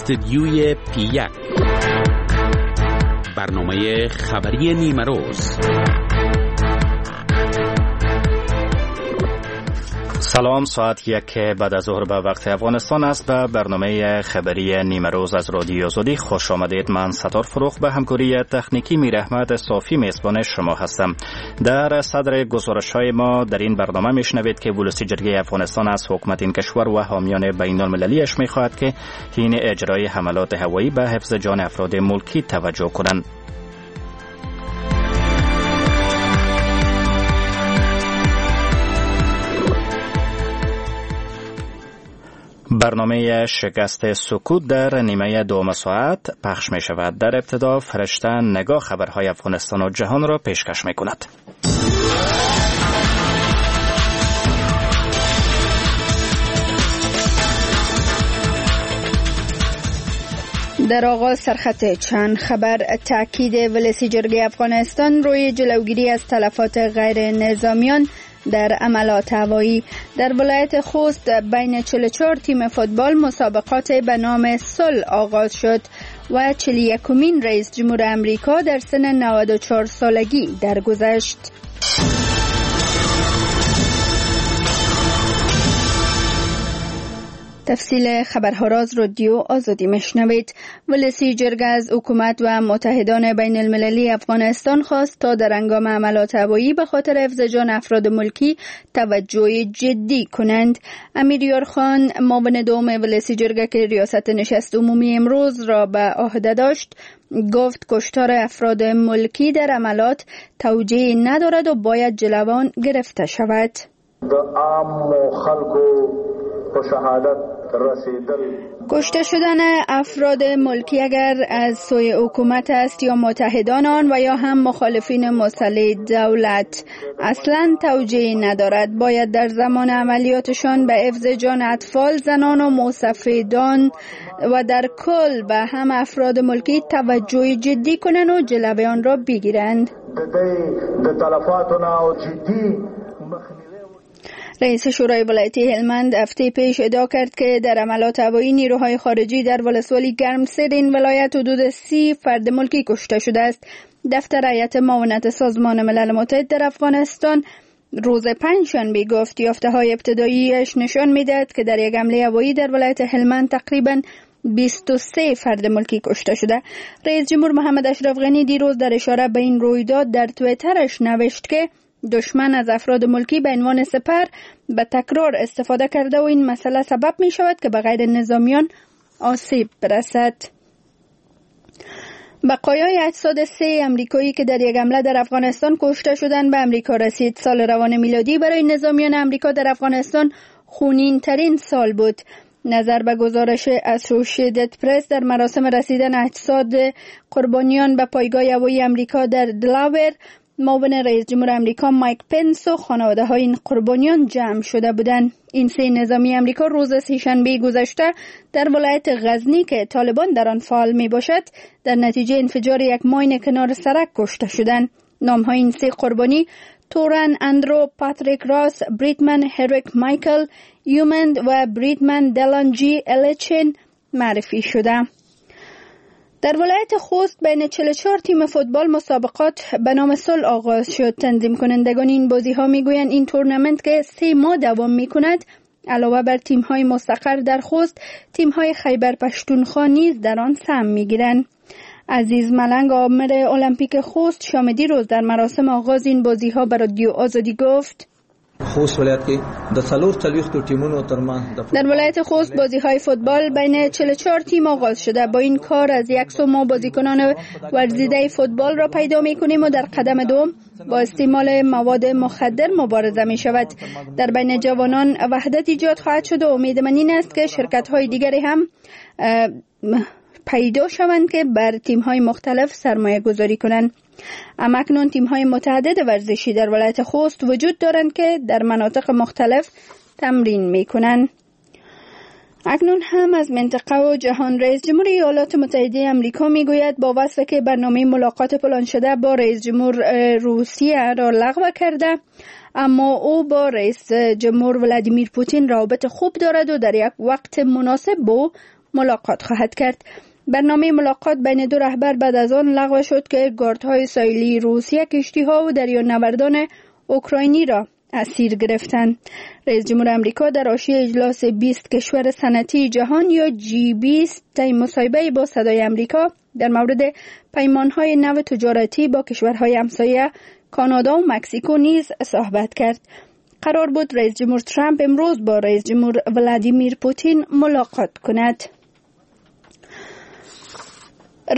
استدیوی پی 1، برنامه خبری نیمه روز. سلام، ساعت 1 بعد از ظهر به وقت افغانستان است. به برنامه خبری نیمه روز از رادیو آزادی خوش آمدید. من ستار فروخ به همکاری تکنیکی میراحمد صافی میزبان شما هستم. در صدر گزارش های ما در این برنامه میشنوید که ولسی جرگه افغانستان از حکومت این کشور و حامیان بین المللیش میخواهد که حین اجرای حملات هوایی به حفظ جان افراد ملکی توجه کنند. برنامه شکست سکوت در نیمه دوم ساعت پخش می شود. در ابتدا فرشته نگاه خبرهای افغانستان و جهان را پیشکش می کند. در آغاز سرخط چند خبر. تاکید ولسی جرگه افغانستان روی جلوگیری از تلفات غیر نظامیان در عملات هوایی. در ولایت خوست بین 44 تیم فوتبال مسابقات به نام صلح آغاز شد و 41مین رئیس جمهور امریکا در سن 94 سالگی درگذشت. تفصیل خبرها را از رادیو آزادی میشنوید. ولسی جرگه از حکومت و متحدان بین المللی افغانستان خواست تا در هنگام عملات هوایی به خاطر حفظ جان افراد ملکی توجه جدی کنند. امیریار خان، معاون دوم ولسی جرگه که ریاست نشست عمومی امروز را به عهده داشت، گفت کشتار افراد ملکی در عملات توجیه ندارد و باید جلوان گرفته شود. کشته شدن افراد ملکی اگر از سوی حکومت است یا متحدان آن و یا هم مخالفین مسلح دولت اصلا توجیه ندارد. باید در زمان عملیاتشان به حفظ جان اطفال، زنان و مسافران و در کل به هم افراد ملکی توجه جدی کنند و جلوی آن را بگیرند. رئیس شورای ولایتی هلمند هفته پیش ادعا کرد که در عملات هوایی نیروهای خارجی در ولسوالی گرمسیر این ولایت حدود 30 فرد ملکی کشته شده است. دفتر هیئت معاونت سازمان ملل متحد در افغانستان روز پنجشنبه گفت یافته‌های ابتداییش نشان می‌دهد که در یک حمله هوایی در ولایت هلمند تقریباً 23 فرد ملکی کشته شده. رئیس جمهور محمد اشرف غنی دیروز در اشاره به این رویداد در توییترش نوشت که دشمن از افراد ملکی به عنوان سپر به تکرار استفاده کرده و این مسئله سبب می شود که به غیر نظامیان آسیب برسد. بقایای اجساد 3 امریکایی که در یک حمله در افغانستان کشته شدند به امریکا رسید. سال روان میلادی برای نظامیان امریکا در افغانستان خونین ترین سال بود. نظر به گزارش اسوسییتد پرس، در مراسم رسیدن اجساد قربانیان به پایگاه هوایی امریکا در دلاور، معاون رئیس جمهور امریکا مایک پنس و خانواده های این قربانیان جمع شده بودند. این 3 نظامی امریکا روز سه‌شنبه گذشته در ولایت غزنی که طالبان در آن فعال می باشد، در نتیجه انفجار یک ماین کنار سرک کشته شدند. نام های این 3 قربانی تورن اندرو پاتریک راس، بریتمن هریک مایکل یومند و بریتمن دلان جی الچین معرفی شده. در ولایت خوست بین 44 تیم فوتبال مسابقات به نام صلح آغاز شد. تنظیم کنندگان این بازی ها میگویند این تورنمنت که 3 ماه دوام می کند، علاوه بر تیم های مستقر در خوست، تیم های خیبر پشتونخوا نیز در آن سهم می گیرند. عزیز ملنگ، آمر المپیک خوست، شام دیروز در مراسم آغاز این بازی ها به رادیو آزادی گفت: خوست ولایت کې د 44 ټیمونو ترمنځ در ولایت خوست بازی های فوتبال بین 44 تیم آغاز شده. با این کار از یک سو ما بازیکنان ورزیده فوتبال را پیدا می کنیم و در قدم دوم با استعمال مواد مخدر مبارزه می شود. در بین جوانان وحدت ایجاد خواهد شد و امید من این است که شرکت های دیگری هم پیدا شوند که بر تیم های مختلف سرمایه گذاری کنند. اما اکنون تیم های متعدد ورزشی در ولایت خوست وجود دارند که در مناطق مختلف تمرین می کنند. اکنون هم از منطقه و جهان. رئیس جمهور ایالات متحده آمریکا میگوید با وصف که برنامه ملاقات پلان شده با رئیس جمهور روسیه را لغو کرده، اما او با رئیس جمهور ولادیمیر پوتین رابطه خوب دارد و در یک وقت مناسب با ملاقات خواهد کرد. برنامه ملاقات بین دو رهبر بعد از آن لغو شد که گاردهای ساحلی روسیه کشتی‌ها و دریانوردان اوکراینی را اسیر گرفتند. رئیس جمهور امریکا در حاشیه اجلاس 20 کشور صنعتی جهان یا G20 طی مصاحبه با صدای امریکا در مورد پیمان‌های نو تجارتی با کشورهای همسایه کانادا و مکزیکو نیز صحبت کرد. قرار بود رئیس جمهور ترامپ امروز با رئیس جمهور ولادیمیر پوتین ملاقات کند.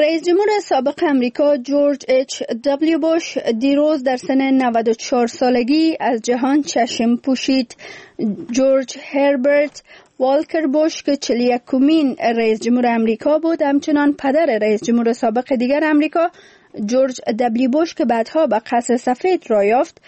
رئیس جمهور سابق امریکا جورج اچ دبلیو بوش دیروز در سن 94 سالگی از جهان چشم پوشید. جورج هربرت والکر بوش که 41مین رئیس جمهور امریکا بود، همچنان پدر رئیس جمهور سابق دیگر امریکا جورج دبلیو بوش که بعدها به قصر سفید راه یافت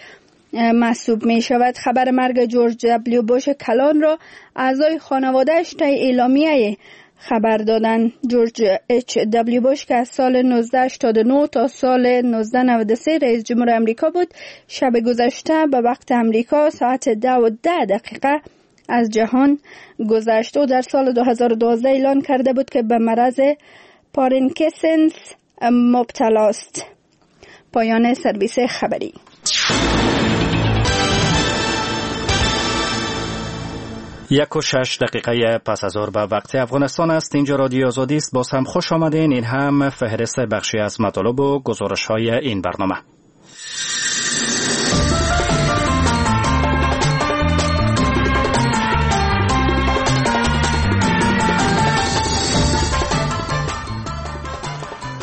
محسوب می شود. خبر مرگ جورج دبلیو بوش کلان را اعضای خانواده‌اش طی اعلامیه خبر دادن. جورج اچ دبلیو بوش که از سال 1989 تا سال 1993 رئیس جمهور امریکا بود، شب گذشته به وقت امریکا ساعت 10:10 از جهان گذشت. او در سال 2012 اعلان کرده بود که به مرض پارکینسون مبتلا است. پایان سرویس خبری. 1:06 پس از ظهر به وقت افغانستان است. اینجا رادیو آزادی است. باز هم خوش آمدین. این هم فهرست بخشی از مطالب و گزارش های این برنامه.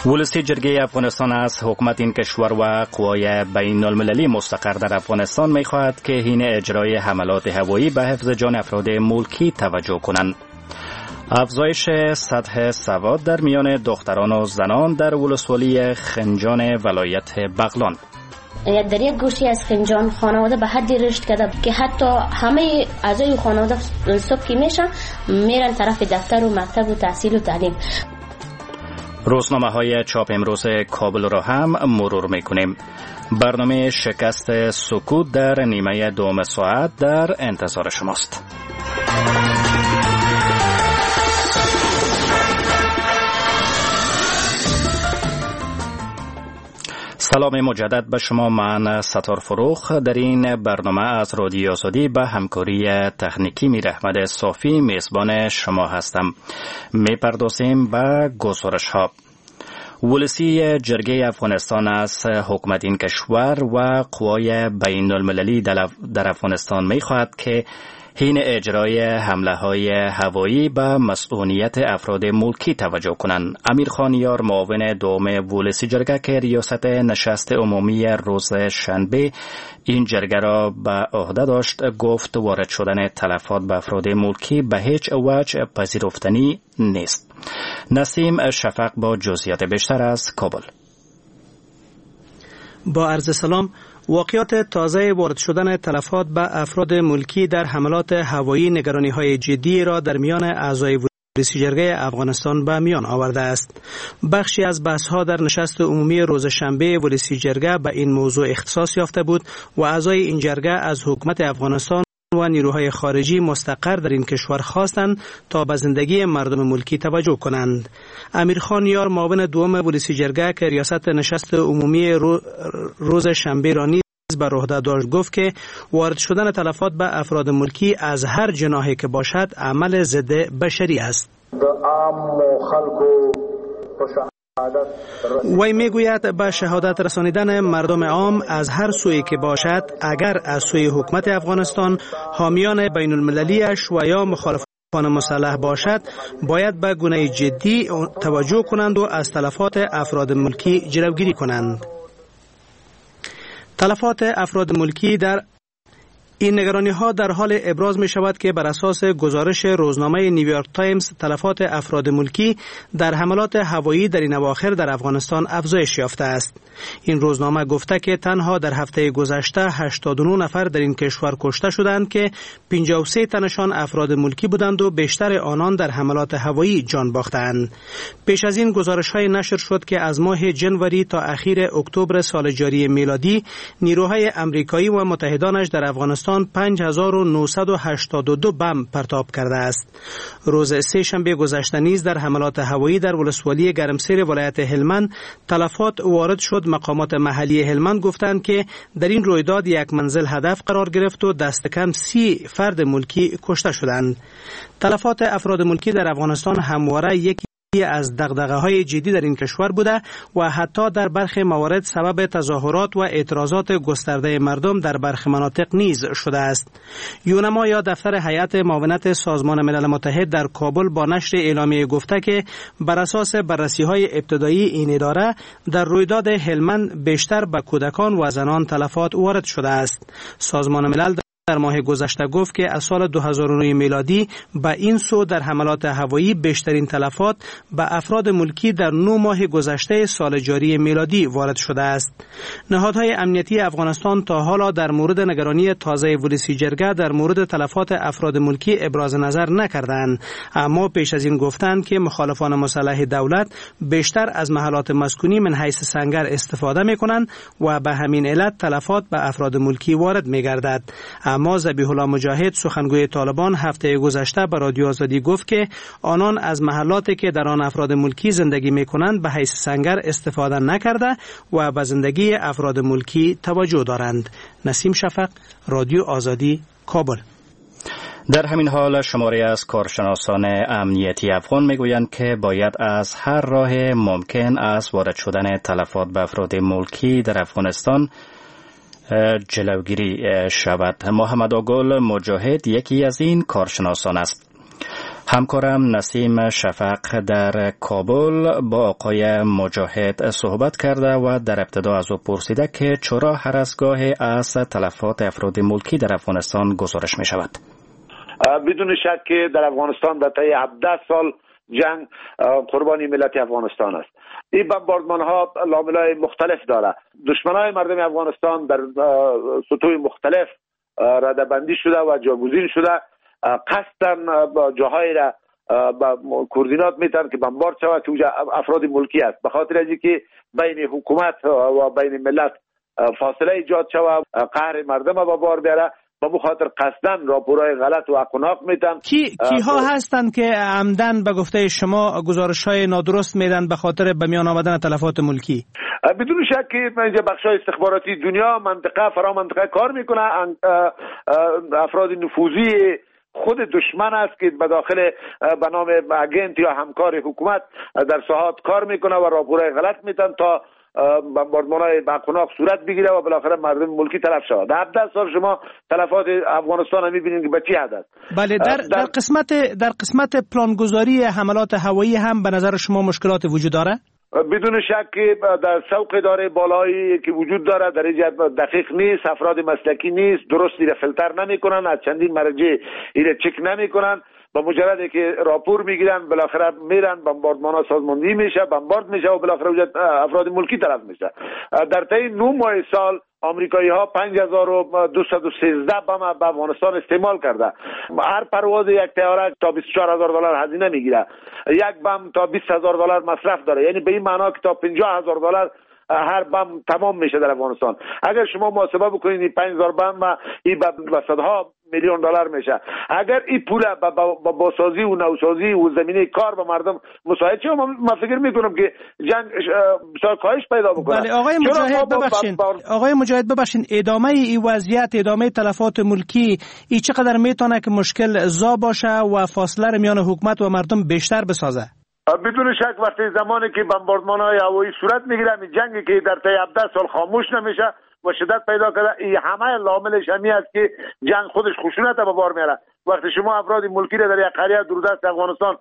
ولسی جرگه افغانستان از حکومت این کشور و قوای بین المللی مستقر در افغانستان می‌خواهد که حین اجرای حملات هوایی به حفظ جان افراد ملکی توجه کنند. افزایش سطح سواد در میان دختران و زنان در ولسوالی خنجان ولایت بغلان. در یک گوشی از خنجان خانواده به حدی رشد کرده که حتی همه اعضای خانواده صبح که میشن میرن طرف دفتر و مکتب و تحصیل و تعلیم. روزنامه های چاپ امروز کابل را هم مرور میکنیم. برنامه شکست سکوت در نیمه دوم ساعت در انتظار شماست. سلام مجدد به شما، من ستار فروخ در این برنامه از رادیو آزادی به همکاری تکنیکی میر احمد صافی میزبان شما هستم. میپردازیم به گزارش ها. ولسی جرگه افغانستان از حکومت این کشور و قوای بین المللی در افغانستان میخواهد که حین اجرای حمله های هوایی به مسئولیت افراد ملکی توجه کنند. امیر خان یار، معاون دوم ولسی جرگه که ریاست نشست عمومی روز شنبه این جرگه را به عهده داشت، گفت وارد شدن تلفات به افراد ملکی به هیچ وجه پذیرفتنی نیست. نسیم شفق با جزئیات بیشتر از کابل. با عرض سلام، واقعات تازه وارد شدن تلفات به افراد ملکی در حملات هوایی نگرانی‌های جدی را در میان اعضای ولسی جرگه افغانستان به میان آورده است. بخشی از بحث‌ها در نشست عمومی روز شنبه ولسی جرگه به این موضوع اختصاص یافته بود و اعضای این جرگه از حکومت افغانستان و نیروهای خارجی مستقر در این کشور خواستند تا به زندگی مردم ملکی توجه کنند. امیرخان یار، معاون دوم ولسی جرگه که ریاست نشست عمومی روز شنبه را نیز بر عهده داشت، گفت که وارد شدن تلفات به افراد ملکی از هر جناحی که باشد عمل ضد بشری است. وی میگوید به شهادت رسانیدن مردم عام از هر سویی که باشد، اگر از سوی حکومت افغانستان، حامیان بین المللیش و یا مخالفان مسلح باشد، باید به گونه جدی توجه کنند و از تلفات افراد ملکی جلوگیری کنند. تلفات افراد ملکی در این نگرانی ها در حال ابراز می شود که بر اساس گزارش روزنامه نیویورک تایمز تلفات افراد ملکی در حملات هوایی در این اواخر در افغانستان افزایش یافته است. این روزنامه گفته که تنها در هفته گذشته 89 نفر در این کشور کشته شدند که 53 تنشان افراد ملکی بودند و بیشتر آنان در حملات هوایی جان باختند. پیش از این گزارش های نشر شد که از ماه جنوری تا اخیر اکتبر سال جاری میلادی نیروهای امریکایی و متحدانش در افغانستان افغانستان 5982 بم پرتاب کرده است. روز سه شنبه گذشته نیز در حملات هوایی در ولسوالی گرمسیر ولایت هلمند تلفات وارد شد. مقامات محلی هلمند گفتند که در این رویداد یک منزل هدف قرار گرفت و دست کم 30 فرد ملکی کشته شدند. تلفات افراد ملکی در افغانستان همواره یکی از دغدغه‌های جدی در این کشور بوده و حتی در برخی موارد سبب تظاهرات و اعتراضات گسترده مردم در برخی مناطق نیز شده است. یونما یا دفتر هیئت معاونت سازمان ملل متحد در کابل با نشر اعلامیه گفته که بر اساس بررسی‌های ابتدایی این اداره در رویداد هلمند بیشتر به کودکان و زنان تلفات وارد شده است. سازمان ملل در ماه گذشته گفت که از سال 2009 میلادی به این سو در حملات هوایی بیشترین تلفات به افراد ملکی در 9 ماه گذشته سال جاری میلادی وارد شده است. نهادهای امنیتی افغانستان تا حالا در مورد نگرانی تازه ولسی جرگه در مورد تلفات افراد ملکی ابراز نظر نکردند، اما پیش از این گفتند که مخالفان مسلح دولت بیشتر از محلات مسکونی من حیث سنگر استفاده میکنند و به همین علت تلفات به افراد ملکی وارد میگردد. اما ذبیح الله مجاهد سخنگوی طالبان هفته گذشته به رادیو آزادی گفت که آنان از محلاتی که در آن افراد ملکی زندگی میکنند به حیث سنگر استفاده نکرده و به زندگی افراد ملکی توجه دارند. نسیم شفق، رادیو آزادی، کابل. در همین حال شماری از کارشناسان امنیتی افغان میگویند که باید از هر راه ممکن از وارد شدن تلفات به افراد ملکی در افغانستان جلوگیری شود. محمد آگل مجاهد یکی از این کارشناسان است. همکارم نسیم شفق در کابل با آقای مجاهد صحبت کرده و در ابتدا از او پرسیده که چرا هر از گاه از تلفات افراد ملکی در افغانستان گزارش می شود. بدون شک که در افغانستان در طی 17 سال جنگ قربانی ملت افغانستان است. این بمباردمان ها لامل‌های مختلف داره. دشمنای مردم افغانستان در سطوح مختلف رده‌بندی شده و جاگزین شده. قصداً جاهای را با کوردینات میتن که بمبارد شود که اونجا افراد ملکی است، به خاطر از اینکه بین حکومت و بین ملت فاصله ایجاد شود، قهر مردم به بار بیاره. به خاطر قصداً راپورهای غلط و اقناق میدن. کیها هستند که عمدن به گفته شما گزارش‌های نادرست میدن به خاطر به میان آمدن تلفات ملکی؟ بدون شک که اینجا بخش‌های استخباراتی دنیا، منطقه، فرا منطقه کار میکنه. افراد نفوذی خود دشمن است که به داخل به نام اگنت یا همکار حکومت در ساحات کار میکنه و راپورهای غلط میدن تا بمباردمان‌های بقناق صورت بگیره و بالاخره مردم ملکی تلف شود. در 17 سال شما تلفات افغانستان هم می‌بینید که به چه حد است. بله، در قسمت پلانگذاری حملات هوایی هم به نظر شما مشکلات وجود داره؟ بدون شک که در سوق اداره بالایی که وجود داره در اینجا دقیق نیست، افراد مسلکی نیست، درست را فیلتر نمی‌کنن، از چندین مرجع ایره چک نمی‌کنن. با مجرد که راپور میگیرن بالاخره میرن بمباردمان ها سازماندهی میشه، بمبارد میشه و بالاخره افراد ملکی طرف میشه. در طی 9 ماه سال آمریکایی ها 5213 بم به افغانستان استعمال کرده. هر پرواز یک طیاره تا 24000 دلار هزینه میگیره، یک بم تا 20000 دلار مصرف داره، یعنی به این معنا که تا 50000 دلار هر بم تمام میشه در افغانستان. اگر شما محاسبه بکنید این 5000 بم این به صدها میلیون دلار میشه. اگر این پول با بازسازی و نوسازی و زمینه کار به مردم مساعد شه، من فکر میکنم که جنگ بسیار کاهش پیدا بکنه. بله آقای مجاهد ببخشید، آقای مجاهد ببخشید، ادامه این وضعیت، ادامه تلفات ملکی، این چقدر میتونه که مشکل زا باشه و فاصله میان حکومت و مردم بیشتر بسازه؟ بدون شک وقتی زمانی که بمباردمان‌های هوایی صورت میگیره، این جنگی که در طی 17 سال خاموش نمیشه و شدت پیدا کرده، این همه لاملش همی است که جنگ خودش خشونت به بار میاره. وقتی شما افراد ملکی را در یک قریه دوردست افغانستان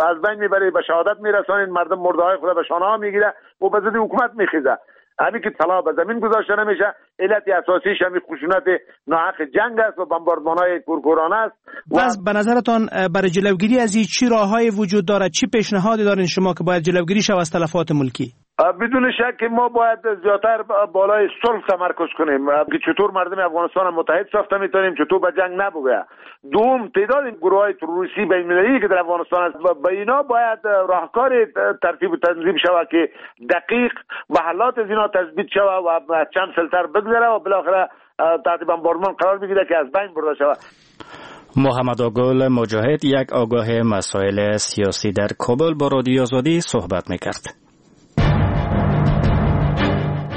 از بین میبرید، به شهادت میرسانید، مردم مرده های خود به شانه ها میگیره و به ضد حکومت میخیزه. همین که طلا به زمین گذاشته نمیشه، علت اساسیش همین خشونت ناحق جنگ است و بمباردمان‌های کورکورانه است. پس به نظرتان برای جلوگیری از این چی راههای وجود دارد؟ چی پیشنهادی دارین شما که باید جلوگیری شود از تلفات ملکی؟ بدون شک ما باید زیادتر بالای صلح تمرکز کنیم که چطور مردم افغانستان متحد ساخته میتونیم، چطور به جنگ نبگه. دوم، تعداد گروه های تروریستی بین المللی که در افغانستان است، به اینا باید راهکار ترتیب و تنظیم شود که دقیق محلات از اینا تثبیت شود و چند فیلتر بگذره و بالاخره تحت بمبارمان قرار بگیره که از بین برده شود. محمد آگل مجاهد، یک آگاه مسائل سیاسی در کابل، با رادیو آزادی صحبت میکرد.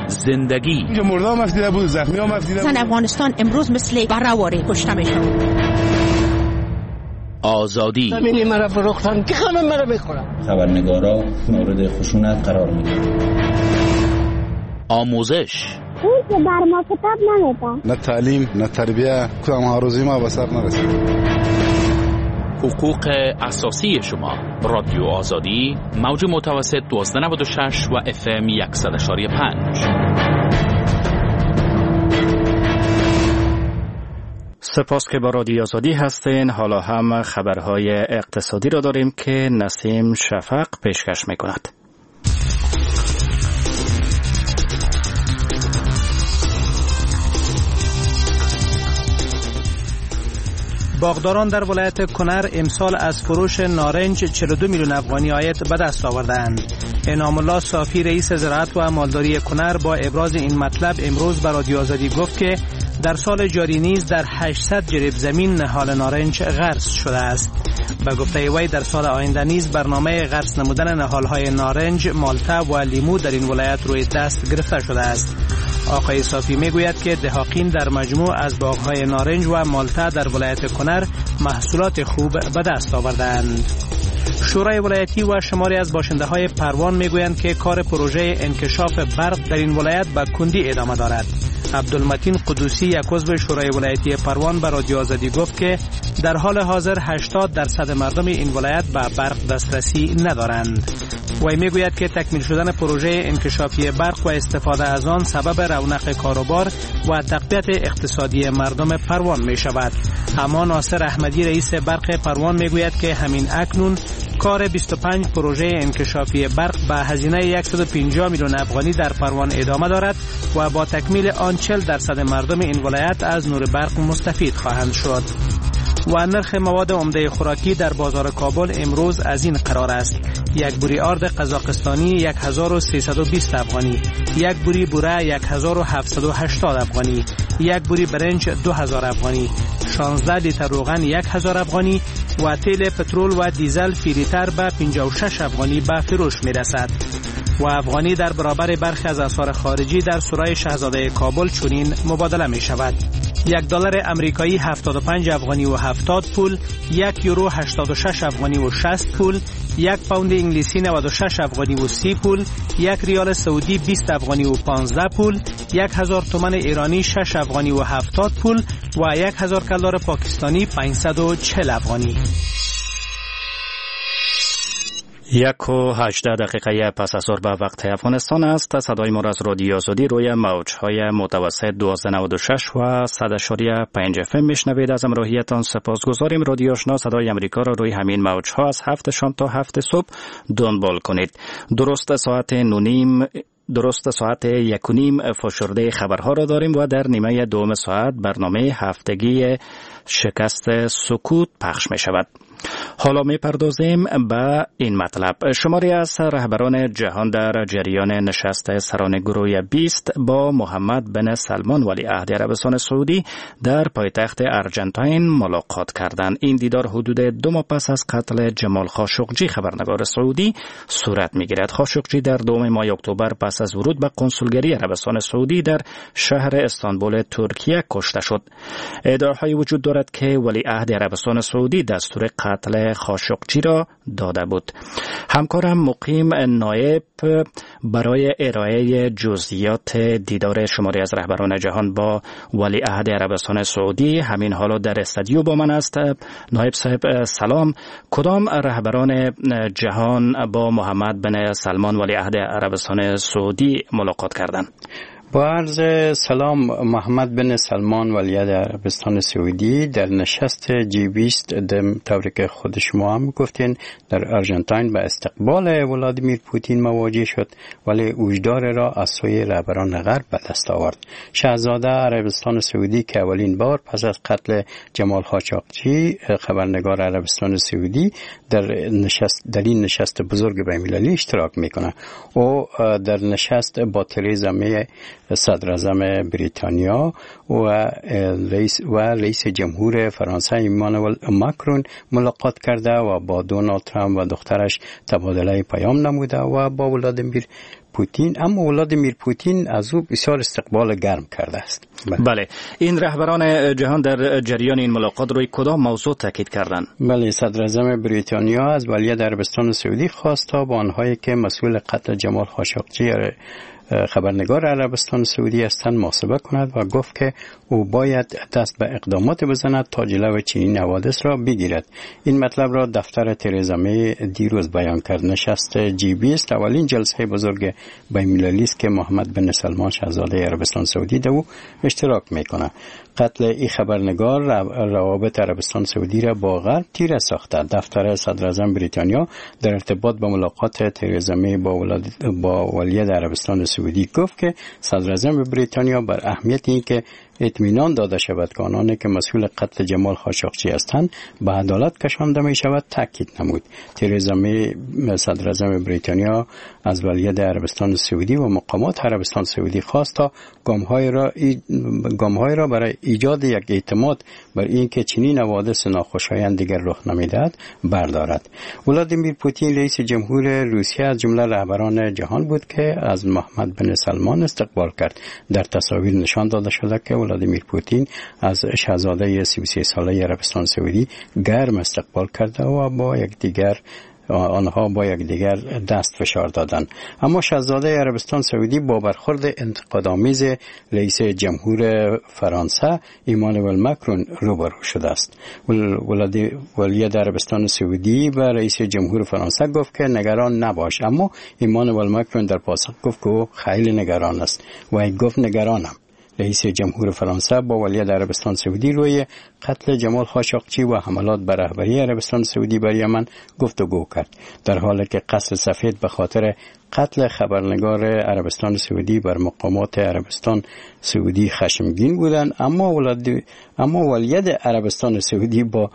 زندگی اینجا مرده هم افتیده بود، زخمی هم افتیده بود. زن افغانستان امروز مثل براواری کشته میشه. آزادی زمینی مرا فروختن که خانم مرا بخورم. خبرنگارا مورد خشونت قرار میگیرن. آموزش هیچ بر ما کتاب نمیدن، نه تعلیم نه تربیه، کدام آرزوی ما به سر نرسید. حقوق اساسی شما. رادیو آزادی، موج متوسط 1296 و اف ام 100.5. سپاس که با رادیو آزادی هستین. حالا هم خبرهای اقتصادی را داریم که نسیم شفق پیشکش میکند. باغداران در ولایت کنر امسال از فروش نارنج 42 میلیون افغانی عاید به دست آوردند. انعام الله صافی، رئیس زراعت و مالداری کنر، با ابراز این مطلب امروز به رادیو آزادی گفت که در سال جاری نیز در 800 جریب زمین نهال نارنج غرس شده است. به گفته وی در سال آینده نیز برنامه غرس نمودن نهال‌های نارنج، مالته و لیمو در این ولایت روی دست گرفته شده است. آقای صافی میگوید که دهاقین در مجموع از باغ‌های نارنج و مالته در ولایت کنر محصولات خوب به دست آوردند. شورای ولایتی و شماری از باشنده های پروان میگویند که کار پروژه انکشاف برق در این ولایت به کندی ادامه دارد. عبدالمتین قدوسی، یک عضو شورای ولایتی پروان، به رادیو آزادی گفت که در حال حاضر 80% مردم این ولایت به برق دسترسی ندارند. وی میگوید که تکمیل شدن پروژه انکشافی برق و استفاده از آن سبب رونق کاروبار و تقویت اقتصادی مردم پروان می شود. اما ناصر احمدی، رئیس برق پروان، میگوید که همین اکنون کار 25 پروژه انکشافی برق به هزینه 150 میلیون افغانی در پروان ادامه دارد و با تکمیل آن 40% مردم این ولایت از نور برق مستفید خواهند شد. و نرخ مواد عمده خوراکی در بازار کابل امروز از این قرار است: یک بوری آرد قزاقستانی 1320 افغانی، یک بوری بوره 1780 افغانی، یک بوری برنج 2000 افغانی، 16 لیتر روغن 1000 افغانی و تیل پترول و دیزل فی لیتر به 56 افغانی به فروش می رسد. و افغانی در برابر برخی از اسعار خارجی در سرای شهزاده کابل چنین مبادله می شود: یک دلار امریکایی 75 افغانی و 70 پول، یک یورو 86 افغانی و 60 پول، یک پوند انگلیسی 96 افغانی و 30 پول، یک ریال سعودی 20 افغانی و 15 پول، 1000 تومان ایرانی 6 افغانی و 70 پول و 1000 کلدار پاکستانی 540 افغانی. 1:18 پس از ظهر به وقت افغانستان است. صدای ما را از رادیو آزادی روی موج‌های متوسط 1296 و 100.5 اف ام میشنوید. از همراهیتان سپاسگزاریم. رادیو آشنا صدای امریکا را روی همین موج‌ها از 7 شام تا 7 صبح دنبال کنید. درست ساعت 9:30 درست ساعت 1:30 فشرده خبرها را داریم و در نیمه دوم ساعت برنامه هفتگی شکست سکوت پخش می شود. حالا می پردازیم به این مطلب. شماری از رهبران جهان در جریان نشست سران گروه 20 با محمد بن سلمان ولیعهد عربستان سعودی در پایتخت ارجنتاین ملاقات کردند. این دیدار حدود 2 ماه پس از قتل جمال خاشقجی خبرنگار سعودی صورت می گیرد. خاشقجی در 2 ماه اکتبر پس از ورود به کنسولگری عربستان سعودی در شهر استانبول ترکیه کشته شد. ادعاهای وجود دارد که ولیعهد عربستان سعودی دستور قتل خاشقجی را داده بود. همکارم مقیم نایب برای ارائه جزئیات دیدار شماری از رهبران جهان با ولیعهد عربستان سعودی همین حالا در استودیو با من است. نایب صاحب سلام، کدام رهبران جهان با محمد بن سلمان ولیعهد عربستان سعودی ملاقات کردند؟ با عرض سلام، محمد بن سلمان ولیعهد عربستان سعودی در نشست جی 20 طوری که خود شما هم گفتین در آرژانتین به استقبال ولادیمیر پوتین مواجه شد، ولی اوجدار را از سوی رهبران غرب به دست آورد. شاهزاده عربستان سعودی که اولین بار پس از قتل جمال خاشقجی خبرنگار عربستان سعودی در این نشست بزرگ بین‌المللی اشتراک میکنه، او در نشست با تریزا می صدراعظم بریتانیا و رئیس جمهور فرانسه ایمانوئل ماکرون ملاقات کرده و با دونالد ترامپ و دخترش تبادله پیام نموده و با ولادیمیر پوتین. اما ولادیمیر پوتین از او بسیار استقبال گرم کرده است. بله، این رهبران جهان در جریان این ملاقات روی کدام موضوع تاکید کردند؟ بله، صدراعظم بریتانیا از ولیعهد عربستان سعودی خواست تا با آنهایی که مسئول قتل جمال خاشقجی خبرنگار عربستان سعودی هستند محاسبه کند و گفت که او باید دست به اقدامات بزند تا جلو چنین حوادث را بگیرد. این مطلب را دفتر ترزا می دیروز بیان کرد. نشست جی 20 اولین جلسه بزرگ بین‌المللی است که محمد بن سلمان شاهزاده عربستان سعودی در او اشتراک میکنه. قتل این خبرنگار روابط عربستان سعودی را با غرب تیره ساخته. دفتر صدراعظم بریتانیا در ارتباط با ملاقات ترزا می با ولیعهد عربستان سعودی گفت که صدراعظم بریتانیا بر اهمیت اینکه اطمینان داده شود که آنانی که مسئول قتل جمال خاشقجی هستند به عدالت کشانده می شود تاکید نمود. ترزا می صدراعظم بریتانیا از ولیعهد عربستان سعودی و مقامات عربستان سعودی خواست تا گام‌های را برای ایجاد یک اعتماد بر اینکه چنین حوادث ناخوشایند دیگر رخ نمیدهد بردارد. ولادیمیر پوتین رئیس جمهور روسیه از جمله رهبران جهان بود که از محمد بن سلمان استقبال کرد. در تصاویر نشان داده شده که ولادیمیر پوتین از شاهزاده 33 ساله عربستان سعودی گرم استقبال کرده و با یکدیگر آنها با یکدیگر دست فشار دادند. اما شاهزاده عربستان سعودی با برخورد انتقادآمیز رئیس جمهور فرانسه ایمانوئل ماکرون روبرو شده است. ولیعهد عربستان سعودی و رئیس جمهور فرانسه گفت که نگران نباش، اما ایمانوئل ماکرون در پاسخ گفت که او خیلی نگران است و گفت نگرانم. رئیس جمهور فرانسه با ولیعهد عربستان سعودی روی قتل جمال خاشقچی و حملات بر رهبری عربستان سعودی بر یمن گفتگو کرد، در حالی که قصر سفید به خاطر قتل خبرنگار عربستان سعودی بر مقامات عربستان سعودی خشمگین بودند، اما ولیعهد عربستان سعودی با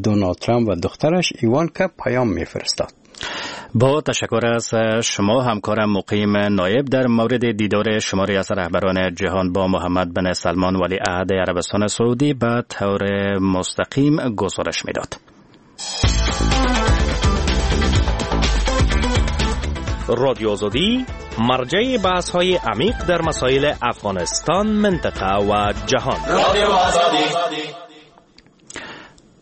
دونالد ترامپ و دخترش ایوانکا پیام می‌فرستاد. با تشکر از شما همکارم مقیم نایب در مورد دیدار شماری از رهبران جهان با محمد بن سلمان ولیعهد عربستان سعودی به طور مستقیم گزارش میداد. رادیو آزادی مرجع بحث‌های عمیق در مسائل افغانستان، منطقه و جهان. رادیو آزادی.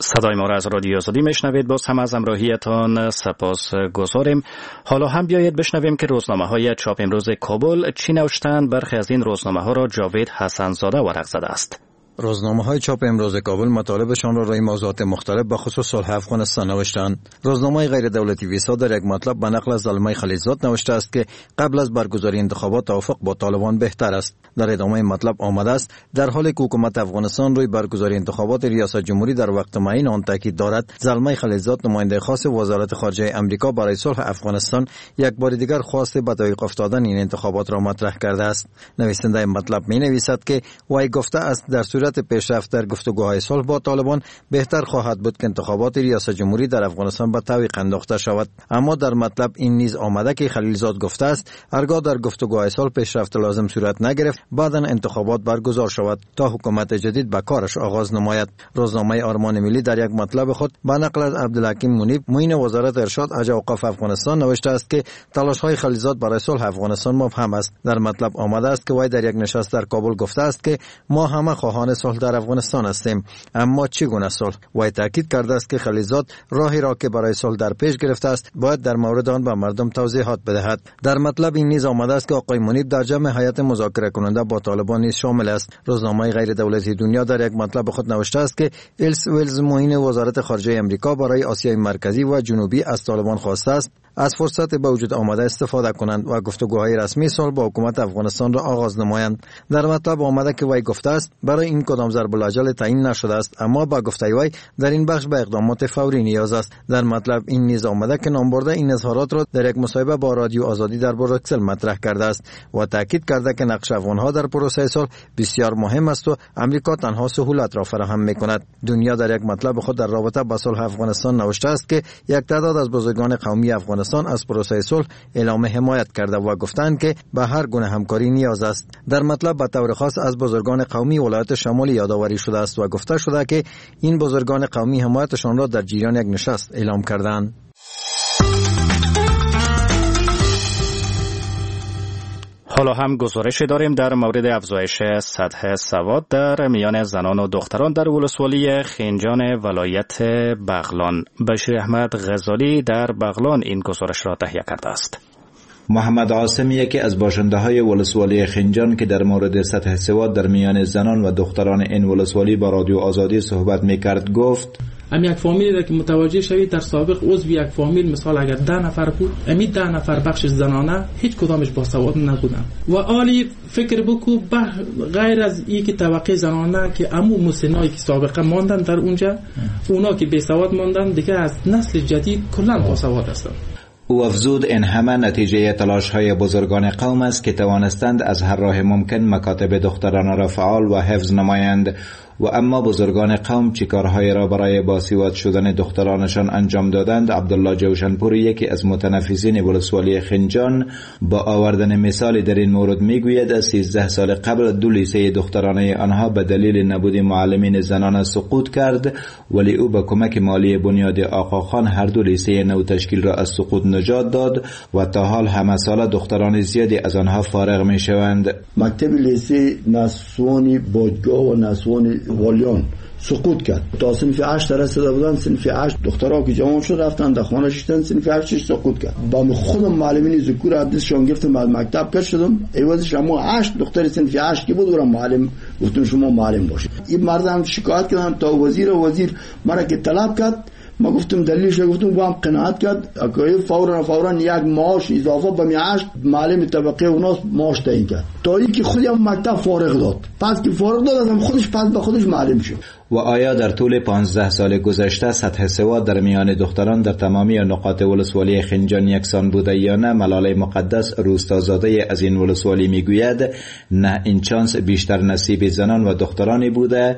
صدای ما را از رادیو آزادی میشنوید. باز هم از همراهیتان سپاس گذاریم. حالا هم بیایید بشنویم که روزنامه های چاپ امروز کابل چی نوشتند. برخی از این روزنامه ها را جاوید حسن زاده ورق زده است. روزنامه های چاپ امروز کابل مطالبشان را روی موضوعات مختلف به خصوص صلح افغانستان نوشتند. روزنامه غیر دولتی ویسا در یک مطلب به نقل از زلمی خلیلزاد نوشته است که قبل از برگزاری انتخابات توافق با طالبان بهتر است. در ادامه مطلب آمده است در حالی که حکومت افغانستان روی برگزاری انتخابات ریاست جمهوری در وقت معین آن تاکید دارد، زلمی خلیلزاد نماینده خاص وزارت خارجه امریکا برای صلح افغانستان یک بار دیگر خواست به تعویق افتادن این انتخابات را مطرح کرده است. نویسنده مطلب می نویسد که وی گفته است در صورت پیشرفت در گفتگوهای صلح با طالبان بهتر خواهد بود که انتخابات ریاست جمهوری در افغانستان به تعویق انداخته شود. اما در مطلب این نیز آمده که خلیلزاد گفته است هرگاه در گفتگوهای صلح پیشرفت لازم صورت نگرفت بعداً انتخابات برگزار شود تا حکومت جدید به کارش آغاز نماید. روزنامه آرمان ملی در یک مطلب خود به نقل از عبدالحکیم منیب معین وزارت ارشاد اوقاف افغانستان نوشته است که تلاش‌های خلیلزاد برای صلح افغانستان مبهم است. در مطلب آمده است که وی در یک نشست در کابل گفته است که ما همه خواهان صلح در افغانستان هستیم، اما چگونه صلح؟ وی تاکید کرده است که خلیلزاد راهی را که برای صلح در پیش گرفته است باید در مورد آن به مردم توضیحات بدهد. در مطلب این نیز آمده است که آقای منیب در جمع هیئت مذاکره کننده با طالبان نیز شامل است. روزنامه غیر دولتی دنیا در یک مطلب خود نوشته است که الس ویلز معین وزارت خارجه امریکا برای آسیای مرکزی و جنوبی از طالبان خواسته است از فرصت به وجود آمده استفاده کنند و گفتگوهای رسمی صلح با حکومت افغانستان را آغاز نمایند. در مطلب آمده که وی گفته است برای این این کدام ضرب الاجل تعیین نشده است، اما با گفته وی در این بخش به اقدامات فوری نیاز است. در مطلب این نیز آمده که نامبرده این اظهارات را در یک مصاحبه با رادیو آزادی در بروکسل مطرح کرده است و تاکید کرده که نقش افغانها در پروسه صلح بسیار مهم است و امریکا تنها سهولت را فراهم میکند. دنیا در یک مطلب خود در رابطه با صلح افغانستان نوشته است که یک تعداد از بزرگان قومی افغانستان از پروسه صلح اعلام حمایت کرده و گفتند که به هر گونه همکاری نیاز است. در مطلب به طور خاص از بزرگان قومی ولایت شمالی یادآوری شده است و گفته شده که این بزرگان قومی حمایتشان را در جریان یک نشست اعلام کردند. حالا هم گزارش داریم در مورد افزایش سطح سواد در میان زنان و دختران در ولسوالی خنجان ولایت بغلان. بشیر احمد غزالی در بغلان این گزارش را تهیه کرده است. محمد عاصم یکی از باشنده های ولسوالی خنجان که در مورد سطح سواد در میان زنان و دختران این ولسوالی با رادیو آزادی صحبت میکرد گفت: ام یک فامیلی را که متوجه شوید در سابق عضو یک فامیل، مثال اگر 10 نفر بود، امی 10 نفر بخش زنانه هیچ کدامش باسواد نبودن و آلی فکر بکو غیر از این که طبقه زنانه که امو مسنایی که سابقه ماندن در اونجا، اونا که بی سواد ماندن دیگه از نسل جدید کلا باسواد هستن. او افزود این همه نتیجه تلاش های بزرگان قوم است که توانستند از هر راه ممکن مکاتب دختران را فعال و حفظ نمایند و اما بزرگان قوم چه کارهایی را برای باسواد شدن دخترانشان انجام دادند. عبدالله جوشنپور یکی از متنفذین ولسوالی خنجان با آوردن مثال در این مورد میگوید از 13 سال قبل 2 لیسه دخترانه آنها به دلیل نبود معلمین زنان سقوط کرد، ولی او با کمک مالی بنیاد آقاخان هر دو لیسه نو تشکیل را از سقوط نجات داد و تا حال همه ساله دختران زیادی از آنها فارغ میشوند. مکتب لیسه نسوانی بادگاه و نسوان والیان سقوط کرد. تا صنف 8 رسیده بودن، صنف 8 دخترها که جوان شد رفتن در خانه شدن، صنف 8 سقوط کرد. با خودم معلمین ذکور دستشان گرفتم از مکتب کش شدم، عوضش اما 8 دختر صنف 8 که بود اورم معلم گفتم شما معلم باشید. این مردم شکایت کردن تا وزیر مرا که طلب کرد، ما گفتم دلیلش گفتم با هم قناعت کرد که فورا یک معاش اضافه به 8 معلم طبقه اوناس معاش تعیین کرد تا اینکه خودم مکتب فارغ داد. پس که فارغ داد ازم خودش پس به خودش معلم شد. و آیا در طول 15 سال گذشته سطح سواد در میان دختران در تمامی نقاط ولسوالی خنجان یکسان بوده یا نه؟ ملاله مقدس روستازاده از این ولسوالی میگوید نه، این چانس بیشتر نصیب زنان و دخترانی بوده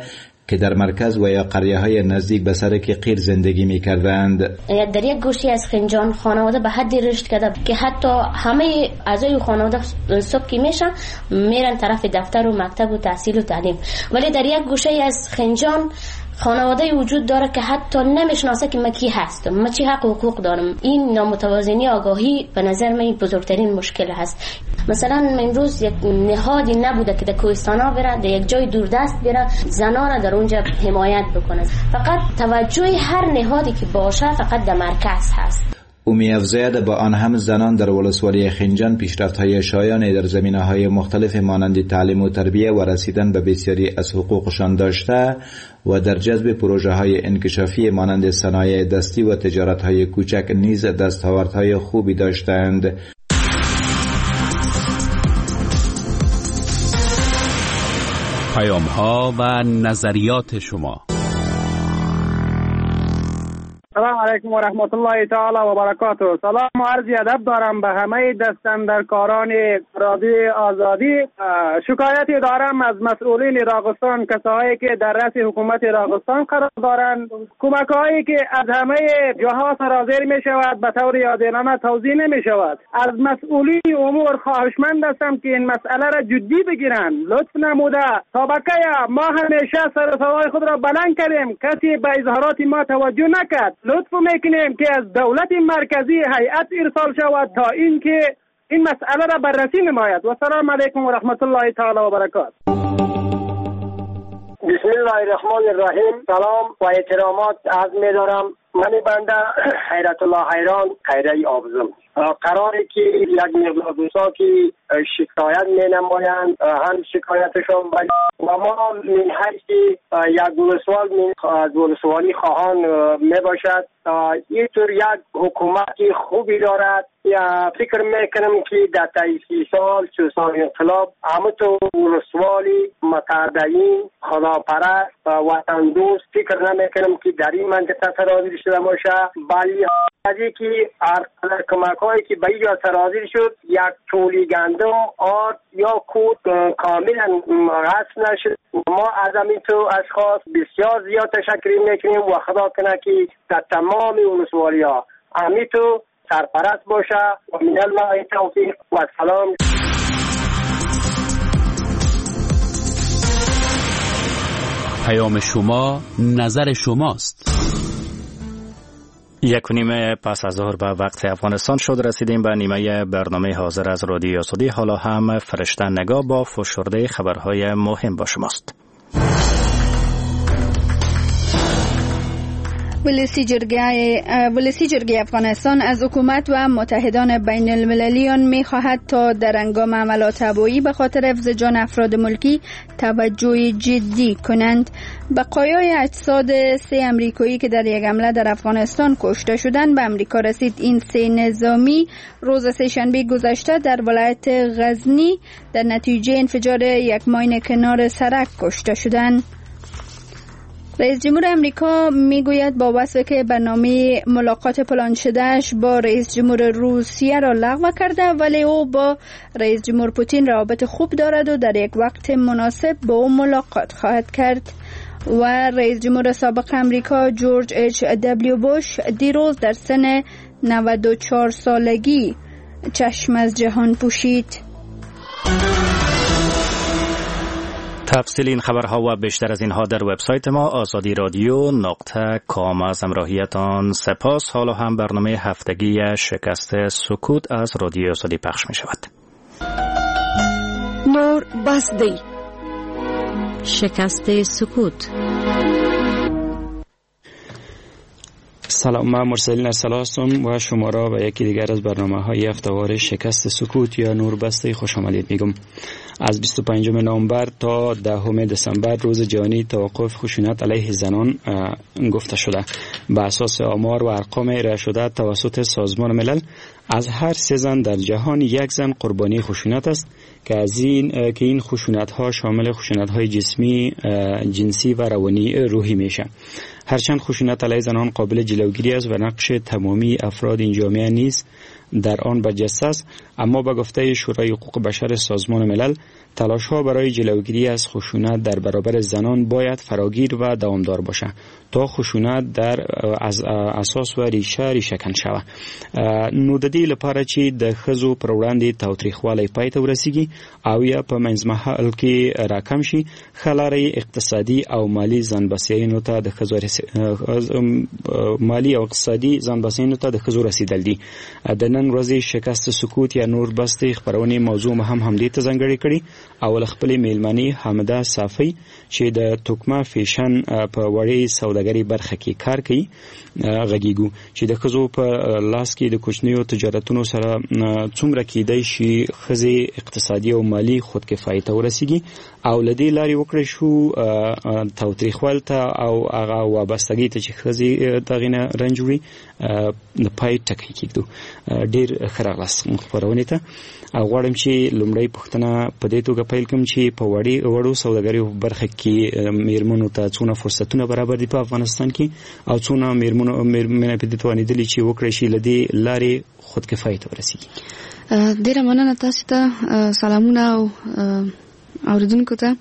که در مرکز و یا قریه های نزدیک به سرک قیر زندگی می کردند. در یک گوشی از خنجان خانواده به حدی رشد کرده که حتی همه اعضای خانواده صبح که میشن میرن طرف دفتر و مکتب و تحصیل و تعلیم، ولی در یک گوشه از خنجان خانواده وجود داره که حتی نمیشناسه که من کی هستم، من چی حق و حقوق دارم. این نامتوازنی آگاهی به نظر من بزرگترین مشکل هست. مثلا امروز یک نهادی نبوده که در کوهستانا بره، در یک جای دوردست بره، زنان را در اونجا حمایت بکنه. فقط توجه هر نهادی که باشه فقط در مرکز هست. او می‌افزاید با آن هم زنان در ولسوالی خنجان پیشرفت‌های شایانی در زمینه‌های مختلف مانند تعلیم و تربیه و رسیدن به بسیاری از حقوقشان داشته و در جذب پروژه‌های انکشافی مانند صنایع دستی و تجارت‌های کوچک نیز دستاوردهای خوبی داشتند. پیام‌ها و نظریات شما. سلام علیکم و رحمت الله تعالی و برکاته. سلام و عرض ادب دارم به همه دستاندرکاران رادیو آزادی. شکایتی دارم از مسئولین راغستان، کسایی که در رأس حکومت راغستان قرار دارند. کمک هایی که از همه جاها سرازیر می شود به طور عادلانه توزیع نمی شود. از مسئولین امور خواهشمند هستم که این مسئله را جدی بگیرند. لطف نموده تا بکه ما همیشه سر صدای خود را بلند کردیم، کسی به اظهارات ما توجه نکرد. لطف میکنیم که از دولت مرکزی هیئت ارسال شود تا اینکه این مسئله را بررسی نماید. و سلام علیکم و رحمت الله تعالی و برکاته. بسم الله الرحمن الرحیم. سلام و احترامات عرض می‌دارم من بنده حیرت الله حیران خیره آبزم. قراری که یک مقدار دوستا که شکایت می نمایند هم شکایتشان و ما من حیث یک ولسوال از ولسوالی خواهان می باشد. اینطور یک حکومت خوبی دارد. فکر میکنم که در طی 30 سال 40 سال انقلاب همونطور ولسوالی متدین خداپرست و وطن دوست فکر نمیکنم که در این منطقه سرازیر شده باشه. بلی از اینکه هر قدر کمک هایی که به اینجا سرازیر شد یک تولی گندم آرد یا کود کاملا غصب نشد. ما از همین تو اشخاص بسیار زیاد تشکر میکنیم و خدا کنه که در تمام ولسوالی ها همین تو سرپرست باشه و من الله توفیق و سلام. پیام شما نظر شماست. 1:30 پس از ظهر به وقت افغانستان شد. رسیدیم به نیمه برنامه حاضر از رادیو آزادی. حالا هم فرشته نگاه با فشرده خبرهای مهم با شماست. ولسی جرگه افغانستان از حکومت و متحدان بین المللیان می خواهد تا در هنگام عملات هوایی به خاطر حفظ جان افراد ملکی توجه جدی کنند. بقایای اجساد 3 امریکایی که در یک حمله در افغانستان کشته شدند به امریکا رسید. این 3 نظامی روز سه‌شنبه گذشته در ولایت غزنی در نتیجه انفجار یک ماین کنار سرک کشته شدند. رئیس جمهور امریکا میگوید با وصف که برنامه ملاقات پلان شدهش با رئیس جمهور روسیه را لغو کرده، ولی او با رئیس جمهور پوتین روابط خوب دارد و در یک وقت مناسب با او ملاقات خواهد کرد. و رئیس جمهور سابق امریکا جورج اچ دبلیو بوش دیروز در سن 94 سالگی چشم از جهان پوشید. تفصیل این خبرها و بیشتر از اینها در وبسایت ما آزادی رادیو .com. از همراهیتان سپاس. حالا هم برنامه هفتگی شکست سکوت از رادیو آزادی پخش می شود. نور بس دی شکست سکوت. سلام، من مرسلین ارسلا هستم و شما را به یکی دیگر از برنامه های هفته‌وار شکست سکوت یا نور بسته خوش آمدید میگم. از 25 نوامبر تا 10 دسامبر روز جهانی توقف خشونت علیه زنان گفته شده. به اساس آمار و ارقام ارائه شده توسط سازمان ملل، از هر 3 زن در جهان یک زن قربانی خشونت است که از این که این خشونت ها شامل خشونت های جسمی، جنسی و روانی روحی میشه. هرچند خشونت علیه زنان قابل جلوگیری است و نقش تمامی افراد این جامعه نیز در آن برجسته است، اما به گفته شورای حقوق بشر سازمان ملل، تلاش‌ها برای جلوگیری از خشونت در برابر زنان باید فراگیر و دوامدار باشد تا خشونت در از اساس و ریشه ریشه کن شود. نو د دې لپاره چې د ښځو پر وړاندې تاوتریخوالی پای ته ورسیږي او یا په منځمهال کې راکم شي، ښه لاره یې اقتصادي او مالي ځانبسیاینو ته د ښځو مالي او اقتصادي ځانبسیاینو ته د ښځو رسیدل دي. د نن ورځې شکست سکوت یا نور بستې خپرونې موضوع هم همدې ته ځانګړې کړې او له خپلې میلمنې حامده صافی چې د توکمه فیشن په وړې سوداګرۍ برخه کې کار کوي غږیږو چې د ښځو په لاس کې د کوچنیو تجارتونو سره څومره کیدای شي ښځې اقتصادي او مالي خودکفایي ته ورسیږي او له دې لارې وکړای شو تاوتریخوالي ته او هغه وابستګۍ ته چې ښځې دغې نه رنج وړي د پای ټکی کېږدو. ډېر ښه راغلاست خپرونې ته. او غواړم چې لومړۍ پوښتنه په دې توګه پیل کړم چې په وړو سوداګریو برخه کې میرمنو ته څونه فرصتونه برابر دي په افغانستان کې او څونه میرمنې په دې توانېدلي چې وکړای شي له دې لارې خودکفایي ته ورسیږي؟ ډېره مننه تاسو ته، سلامونه او اوریدونکو ته.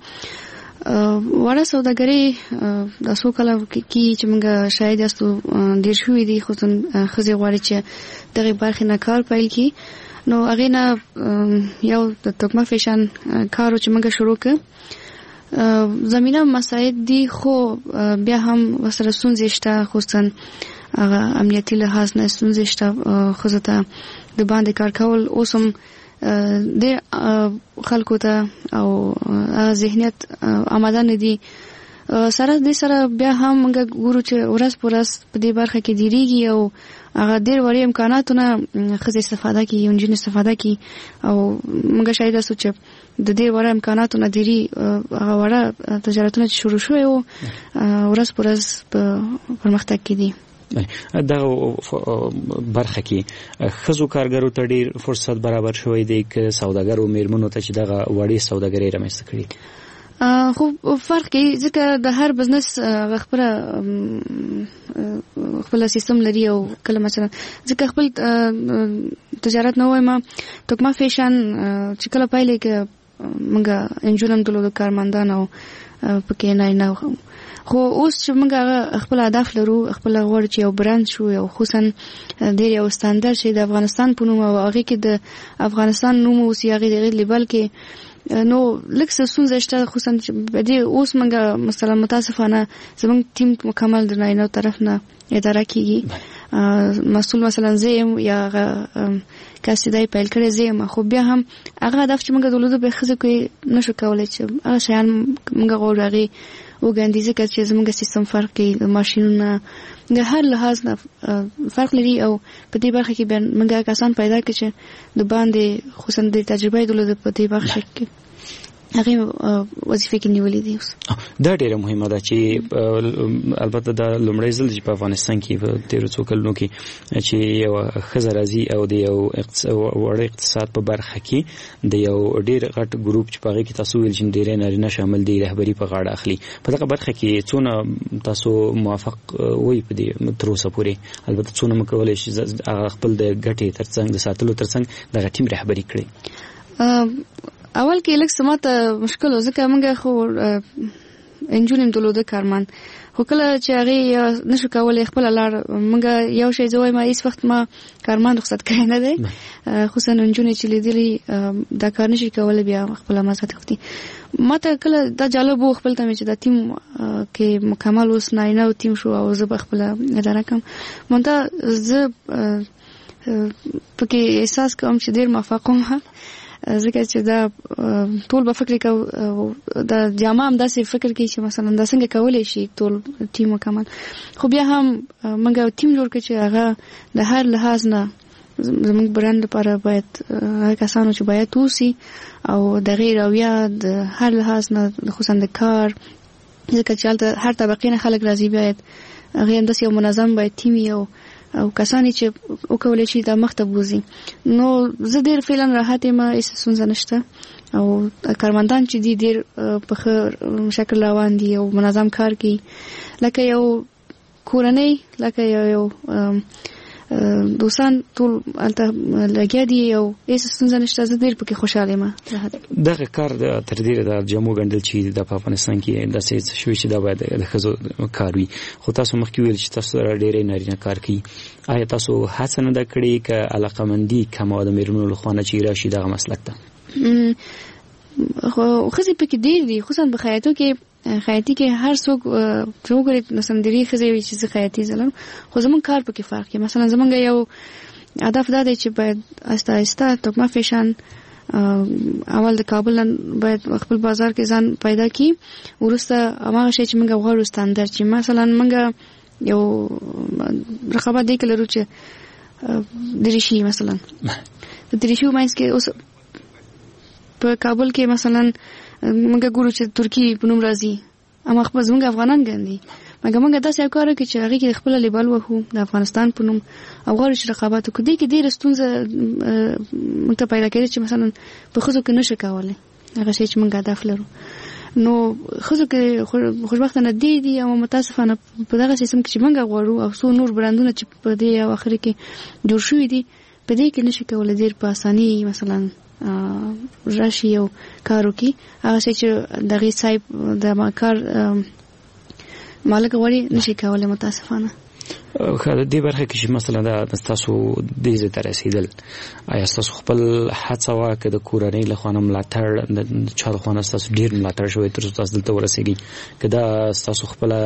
وړه سوداګري د څو کاله کې چې موږ شاهد یاستو ډېر شوي دي، خصوصاً ښځې غواړي چې دغې برخې نه کار پیل کړي. نو هغې نه یو د توکمه فیشن کار چې موږ شروع کړ، زمینه مساعد دي، خو بیا هم ورسره ستونزې شته، خصوصاً هغه امنیتي لحاظ نه ستونزې شته. ښځو ته د باندې کار کول اوس هم ډېر خلکو ته او هغه ذهنیت آماده نه دي. سره دې سره بیا هم موږ ګورو چې ورځ په ورځ په دې برخه کې ډیریږي او هغه ډیر وړي امکاناتو نه ښځې استفاده کوي، نجونې استفاده کوي او موږ شاهد یاستو چې د دې وړه امکاناتو نه ډیری هغه وړه تجارتونه چې شروع شوي وو ورځ په ورځ په پرمختګ کې دي. دغه برخه کې ښځو کارګرو ته ډیر فرصت برابر شوی دی که سوداګرو میرمنو ته چې دغه وړې سوداګرۍ رامنځته کړي؟ خو فرق کوي، ځکه د هر بزنس خپل خپل سیستم لري او کله مثلا ځکه خپل تجارت نه وایم، توکمه فیشن چې کله پیل کې موږ انجونم درلود کارمندان او پکې نه نه، خو اوس چې موږ هغه خپل هدف لرو، خپل غواړو چې یو برند شو، یو خصوصا ډیر یو ستاندرد شي د افغانستان په نوم او هغه کې د افغانستان نوم اوس هغه د لیبل کې، نو لږ څه ستونزه شته، خصوصا چې دې اوس موږ مثلا متاسفانه زموږ ټیم مکمل د نارینه طرف نه اداره کیږي. مسؤل مثلا زه یم یا هغه کس چې دی پیل کړی زه یم، خو بیا هم هغه هدف چې موږ درلود به ښځو کې نشو کولی چې هغه شیان موږ غواړو هغې وګڼي، ځکه چې زموږ سیستم فرق کوي، ماشینونه د هر لحاظ نه فرق لري او په دې برخه کې بیا موږ کسان پیدا کړو چې د باندې خصوصا د تجربه درلود په دې برخه کې هغه وظیفه کې نیولې دي. اوس دا ډیره مهمه ده چې البته دا لومړی ځل چې په افغانستان کې په تیرو څو کلونو کې چې یو ښځه راځي او د یو وړ اقتصاد په برخه کې د یو ډیر غټ ګروپ چې په هغه کې تاسو ویل چې ډیری نارینه شامل دي رهبري په غاړه اخلي، په دغه برخه کې څونه تاسو موافق وئ په دې تر اوسه پورې؟ البته څونه مو کولای شي هغه خپل د ګټې ترڅنګ د ساتلو ترڅنګ دغه ټیم رهبري کړي؟ اول کې لږ څه ماته مشکل و، ځکه موږ خو انجونې درلوده کارمند، خو کله چې هغې نشو کولی خپله لار، موږ یو شی زه وایم هیڅ وخت ما کارمند رخصت کړی نه دی، خصوصا نجونې چې لیدلي دا کار نشي کولی بیا خپله مزه تښتي. ما ته کله دا جالب و خپل ته مې چې دا ټیم کې مکمل اوس نارینه او ټیم شو او زه به خپله اداره کوم، مونته زه پکې احساس کوم چې ډېر موفق وم، ځکه چې دا ټول به فکر کوي، دا جامه هم داسې فکر کوي چې مثلا دا څنګه کولی شي ټول ټیم مکمل، خو بیا هم موږ یو ټیم جوړ کړ چې هغه د هر لحاظ نه زموږ برند لپاره باید هغه کسانو چې باید اوسي او د هغې رویه د هر لحاظ نه خصوصا د کار، ځکه چې هلته هر طبقې نه خلک راځي، باید هغې همداسې یو منظم باید ټیم وي او کسان چې وکولای شي دا مخته بوزي. نو زه ډیر فعلا راحت یم، هیڅ ستونزه نشته او کارمندان چې دي ډیر په ښه شکل روان دي او منظم کار کوي، لکه یو کورنۍ، لکه یو دوستان ټول هلته لګیا دي او هیڅ ستونزه نشته، زه ډیر پکې خوشاله یم. دغه کار تر ډیره د جامو ګنډل چې د په افغانستان کې داسې څه شوي چې دا باید د ښځو کار وي، خو تاسو مخکې ویل چې تاسو سره ډیری نارینه کار کوي، آیا تاسو هڅه نه ده کړې که علاقمندي کمه وه د مېرمنو لخوا نه چې راشي دغه مسلک ته؟ خو ښځې پکې ډېر دي، خصوصا په خیاطو کې، خیاطي کې هر څوک چې وګوري مثلا ډېری ښځې وي چې زه خیاطي زلم، خو زمونږ کار پکې فرق کوي. مثلا زمونږ یو هدف دا دی چې باید آهسته آهسته توکمه فیشن اول د کابل نه باید خپل بازار کې ځان پیدا کړي، وروسته هماغه شی چې موږ غواړو ستاندرد، چې مثلا موږ یو رقابت دی کې لرو چې دریشي، مثلا د دریشي منځ کې اوس په کابل کې مثلا موږ ګورو چې ترکی په نوم راځي، اما خپل زموږ افغانان ګڼي، مګر موږ داسې یو کار وکړو چې هغې کې خپل لیبل وهو د افغانستان په نوم او غواړو چې رقابت وکړو. دې کې ډېره ستونزه موږ ته پیدا کېده چې مثلا په ښځو کې نشو کولی هغه شی چې موږ هدف لرو، نو ښځو کې خوشبختانه ډېر دي، او متاسفانه په دغه سیستم کې چې موږ غواړو او څو نور برندونه چې په دې اواخر کې جوړ شوي دي په دې کې نشو کولی ډېر په اساني مثلا راشي او کار وکړي. هغه شی چې دغې صاحب د کار مالک غواړي نشي کولی متاسفانه. ښه، د دې برخه کې چې مثلا دا ستاسو دې ځای ته رسېدل، آیا ستاسو خپل هڅه وه که د کورنۍ له خوا نه ملاتړ، د چا له خوا نه ستاسو ډېر ملاتړ شوی تر څو تاسو دلته ورسېږئ، که دا ستاسو خپله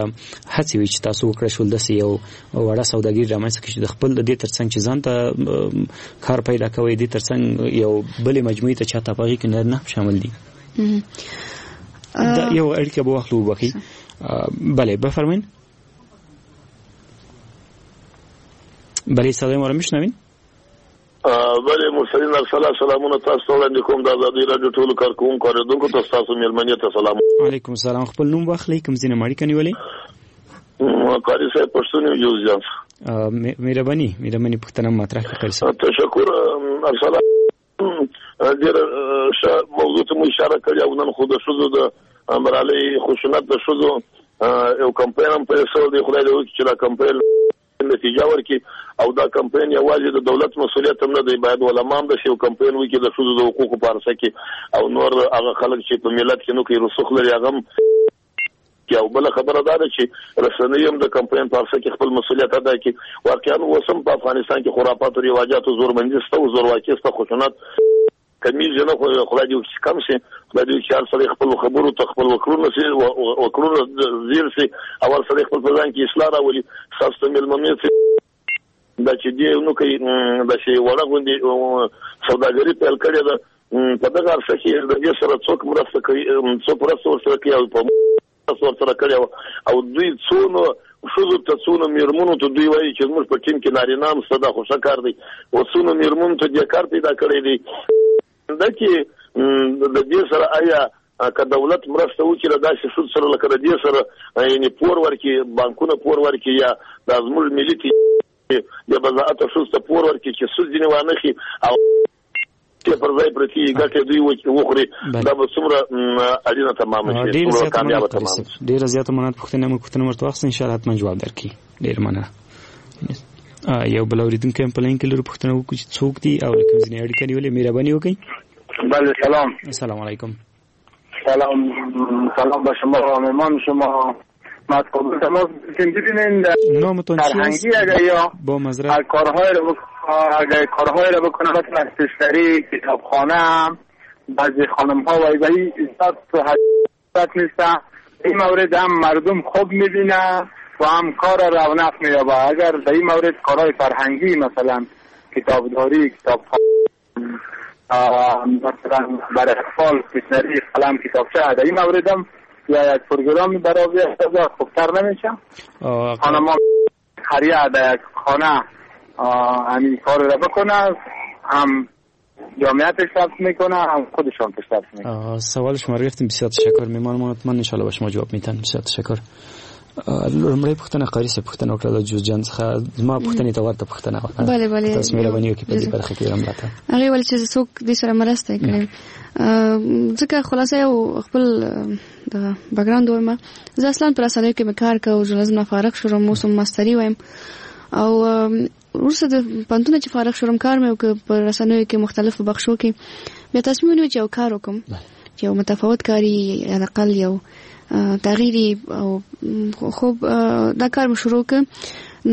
هڅې وي چې تاسو وکړای شول داسې یو وړه سوداګري رامنځته کړئ چې د خپل د دې ترڅنګ چې ځان ته کار پیدا کوئ، دې ترڅنګ یو بلې مجموعې ته چاته په هغې کې نارینه هم شامل دي؟ دا یو اړیکه به واخلو وبخښئ. بله بفرمایید. بله صدای ما رو میشنوین؟ بله مرسلین ارسلا سلامونه تاسو ته وړاندې کوم د ازادي راډیو ټولو کارکوونکو اورېدونکو ته ستاسو مېلمنې ته سلام. علیکم سلام. خپل نوم واخلئ، کوم ځای نه مو اړیکه نیولې؟ قاري صاحب پښتون یم جوزجان. مهرباني مهرباني، پوښتنه مطرح کړئ قاري صاحب. تشکر ارسلا، ډېره ښه موضوع ته مو اشاره کړې او نن خو د ښځو د ملالۍ خشونت د ښځو یو کمپاین هم پیل شوی دی. خدای دې وکړي چې دا کمپاین نتیجه ورکړي او دا کمپاین یوازې د دولت مسولیت هم نه دی، باید علما هم داسې یو کمپاین وکړي د ښځو د حقوقو په عرصه کې او نور هغه خلک چې په ملت کې نو کې رسوخ لري هغه هم. او بله خبره دا ده چې رسنۍ هم د کمپاین په عرصه کې خپل مسولیت ادا کړي. واقعا اوس هم په افغانستان کې خرافات او رواجاتو زورمندي شته او زورواکي شته، خشونت کمیږي نه، خدای دې وکړي چې کم شي. خدای دې وکړي چې هر سړی خپل خبرو ته خپل وکړونه شي، وکړونه زیر شي او هر سړی خپل په ځان کې اصلاح راولي. ستاسو ته مېلمنې دا چې دې نو کوي داسې وړه غوندې سوداګري پیل کړې ده، په دغه عرصه کې د دې سره څوک مرسته کوي، څوک مرسته ورسره کوي او په مرسته ورسره کړې او دوی څونو ښځو ته څونو مېرمنو ته دوی وایي چې زموږ په ټیم کې نارینه هم شته، دا خو ښه کار دی، او څونو مېرمنو ته دې کار پیدا کړی دی. دا چې د دې سره آیا که دولت مرسته وکړي له داسې ښځو سره لکه د دې سره یعنې پور ورکړي، بانکونه پور ورکړي یا دا زموږ ملي بې بضاعته ښځو ته پور ورکړي چې سود ځینې وانخلي او پر ځای پرتې ګټې دوی وخوري، دا به څومره اړینه تمامه شي، څومره کامیابه تمامه شي. ډېره زیاته مننه. پوښتنه مو پوښتنه ورته واخیسته، انشاءالله حتما جواب درکړي. ډېره مننه. یو بل اوریدونکی هم په لاین کې لرو، پوښتنه وکړو چې څوک دي او له کوم ځای اړیکه نیولې، مهرباني وکړئ. بله سلام. سلام علیکم. سلام سلام به شما و مهمان شما. ما از کابل تماس ببینین نامتون فرهنگی اگر یا با معذرت کارهای رو اگر کارهای رو بکنه مثل استشتری کتابخانه بعضی خانم ها و ایبهی زیاد حضرت نیستن، این مورد هم مردم خوب میبینه و هم کار رونق مییابه. اگر در این مورد کارهای فرهنگی مثلا کتابداری، کتابخانه، مثلا برای اطفال استشنری، قلم، کتابچه، در این مورد هم یا یک پروگرام برای خوبتر نمیشه. خانم ها خریه در یک خانه همین کار را بکنه، هم جامعه پیشرفت میکنه هم خودشان پیشرفت میکنه. سوال شما رو گرفتیم، بسیار تشکر. میمان ما حتما انشاءالله به شما جواب میتن. بسیار تشکر. لومړۍ پوښتنه قاري صاحب پوښتنه وکړه د جوزجان څخه، زما پوښتنې ته ورته پوښتنه وکړه. بله بله، تاسو مهرباني وکړئ په دې برخه کې هم راته. هغې ویل چې څوک دې سره مرسته کړي، ځکه خلاصه یو خپل دغه بکګراوند وایم. زه اصلا په رسنیو کې مې کار کاوه، ژورنالیزم نه فارغ شوم، اوس هم ماستري وایم او وروسته د پوهنتون چې فارغ شوم کار مې وکړ په رسنیو کې مختلفو بخشو کې. بیا تصمیم ونیو چې یو کار وکړم چې یو متفاوت کاري حداقل یو تغییری او خو دا کار مې شروع کړ.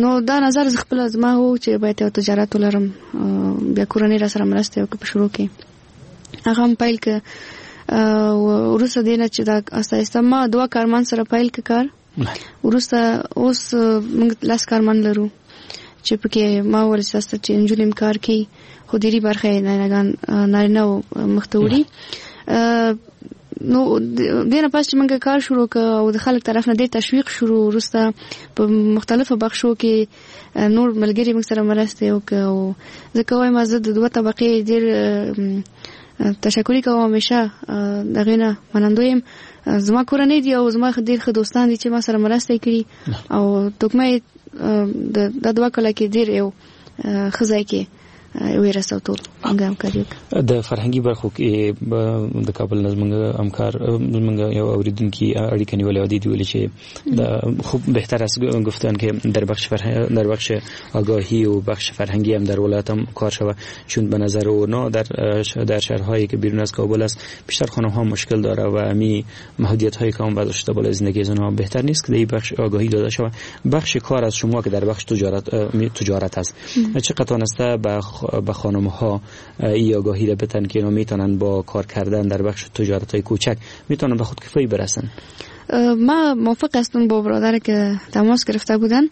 نو دا نظر خپل زما و چې باید یو تجارت ولرم، بیا کورنۍ را سره مرسته وکړه په شروع کې، هغه هم پیل کړ. وروسته دې نه چې دا آهسته آهسته ما دوه کارمند سره پیل کړ کار. وروسته اوس موږ 10 کارمند لرو چې پکې ما ورسته چې نجونې هم کار کوي، خو ډېری برخه یې نارینه مخته وړي. نو دینه پس چې موږ کار شروع کړ او د خلک طرف نه ډېر تشویق شروع، وروسته په مختلفو بخشو کې نور ملګري موږ سره مرسته وکړه. او زه وایم زه د دوه طبقې ډېر تشکري کوم، همیشه دغې نه منندوی یم. زما کورنۍ دي او زما ډېر ښه دوستان دي چې ما سره مرسته کړي او توکمه د دوه کاله کې ډېر یو ښه ځای کې ویرسو ټول موږ همکاري وکړه. د فرهنګي برخو کې د کابل نه زموږ همکار زموږ یو اوریدونکي اړیکه نیولې او دې ویلي چې خوب بهتر است گفتن که در بخش در بخش آگاهی و بخش فرهنگی هم در ولایت هم کار شود، چون به نظر اونا در شهرهایی که بیرون از کابل است بیشتر خانم ها مشکل داره و امی محدودیت هایی که هم وضع شده بالای زندگی از اونها بهتر نیست که در بخش آگاهی داده شود. بخش کار از شما که در بخش تجارت است چقدر توانسته به خانم ها ای آگاهی را بتن که اینا میتونن با کار کردن در بخش تجارت های کوچک میتونن به خودکفایی برسن؟ ما موافق هستم با برادر که تماس گرفته بودن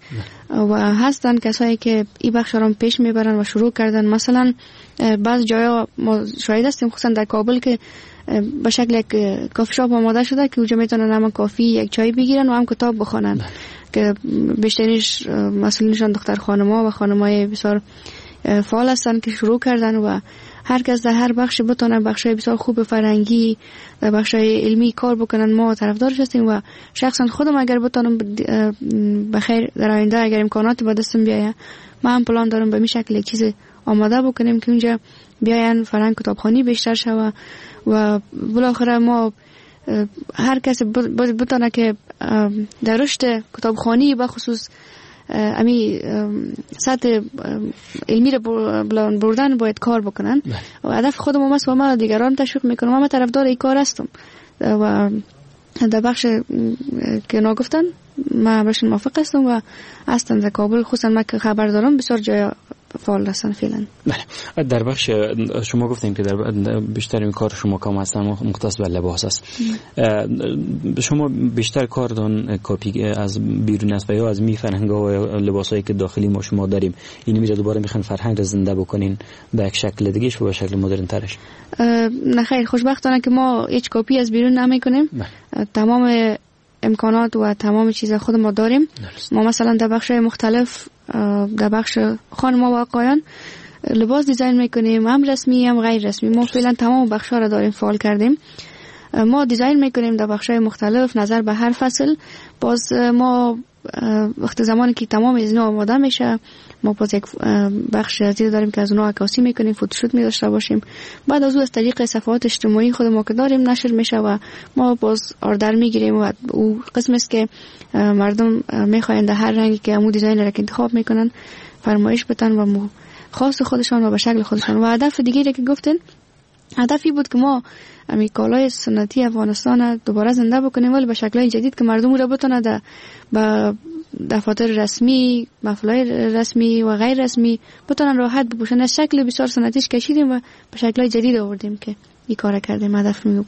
و هستن کسایی که این بخش را پیش میبرن و شروع کردن. مثلا بعض جایا ما شاهد هستیم، خصوصا در کابل، که به شکل یک کافی شاپ آماده شده که اونجا میتونن هم کافی، یک چای بگیرن و هم کتاب بخوانن، که بیشترینش مسئولینشان دختر خانم‌ها و خانم‌های بسیار فعال هستن که شروع کردن و هر کس در هر بخش بتونه بخش‌های بسیار خوب فرهنگی در بخش‌های علمی کار بکنن، ما طرفدارش هستیم. و شخصا خودم اگر بتونم بخیر در آینده اگر امکانات به دستم بیاید، من هم پلان دارم به می شکل یک چیز آماده بکنیم که اونجا بیاین فرهنگ کتابخوانی بیشتر شوه و بالاخره ما هر کس بتونه که در رشد کتابخوانی به خصوص امی سطح علمی رو بلند بردن باید کار بکنن. و هدف خودم است و ما دیگران تشویق میکنم و من طرفدار این کار هستم و در بخش که نگفتن من برشون موافق هستم و هستم در کابل، خصوصا من که خبر دارم بسیار جای فعال هستن فعلا. بله، در بخش شما گفتیم که در بیشتر این کار شما کام هستن مختص به لباس است. شما بیشتر کارتون کپی از بیرون است و یا از می فرهنگ و لباسایی که داخلی ما شما داریم اینو میره دوباره میخوان فرهنگ را زنده بکنین به یک شکل دیگه و به شکل مدرن ترش؟ نه خیر، خوشبختانه که ما هیچ کپی از بیرون نمیکنیم. تمام امکانات و تمام چیز خود ما داریم. ما مثلا در بخش مختلف، در بخش خانم‌ها و آقایان لباس design میکنیم، هم رسمی هم غیر رسمی. ما فعلا تمام بخش‌ها را داریم فعال کردیم. ما design میکنیم در بخش‌های مختلف نظر به هر فصل. باز ما وقت زمانی که تمام از اینا آماده میشه، ما باز یک بخش از داریم که از اونها عکاسی میکنیم، photoshoot می داشته باشیم. بعد از او از طریق صفحات اجتماعی خود ما که داریم نشر میشه و ما باز order میگیریم و او قسم است که مردم میخواین در هر رنگی که امو design را که انتخاب میکنن فرمایش بدن و مو خاص خودشان و به شکل خودشان. و هدف دیگه که گفتن، هدفی بود که ما امی کالای سنتی افغانستان دوباره زنده بکنیم، ولی به شکل‌های جدید که مردم را بتونه در با دفاتر رسمی، محفل‌های رسمی و غیر رسمی بتونن راحت بپوشن. از شکل بسیار سنتیش کشیدیم و به شکل‌های جدید آوردیم که این کار کردیم. هدف می بود.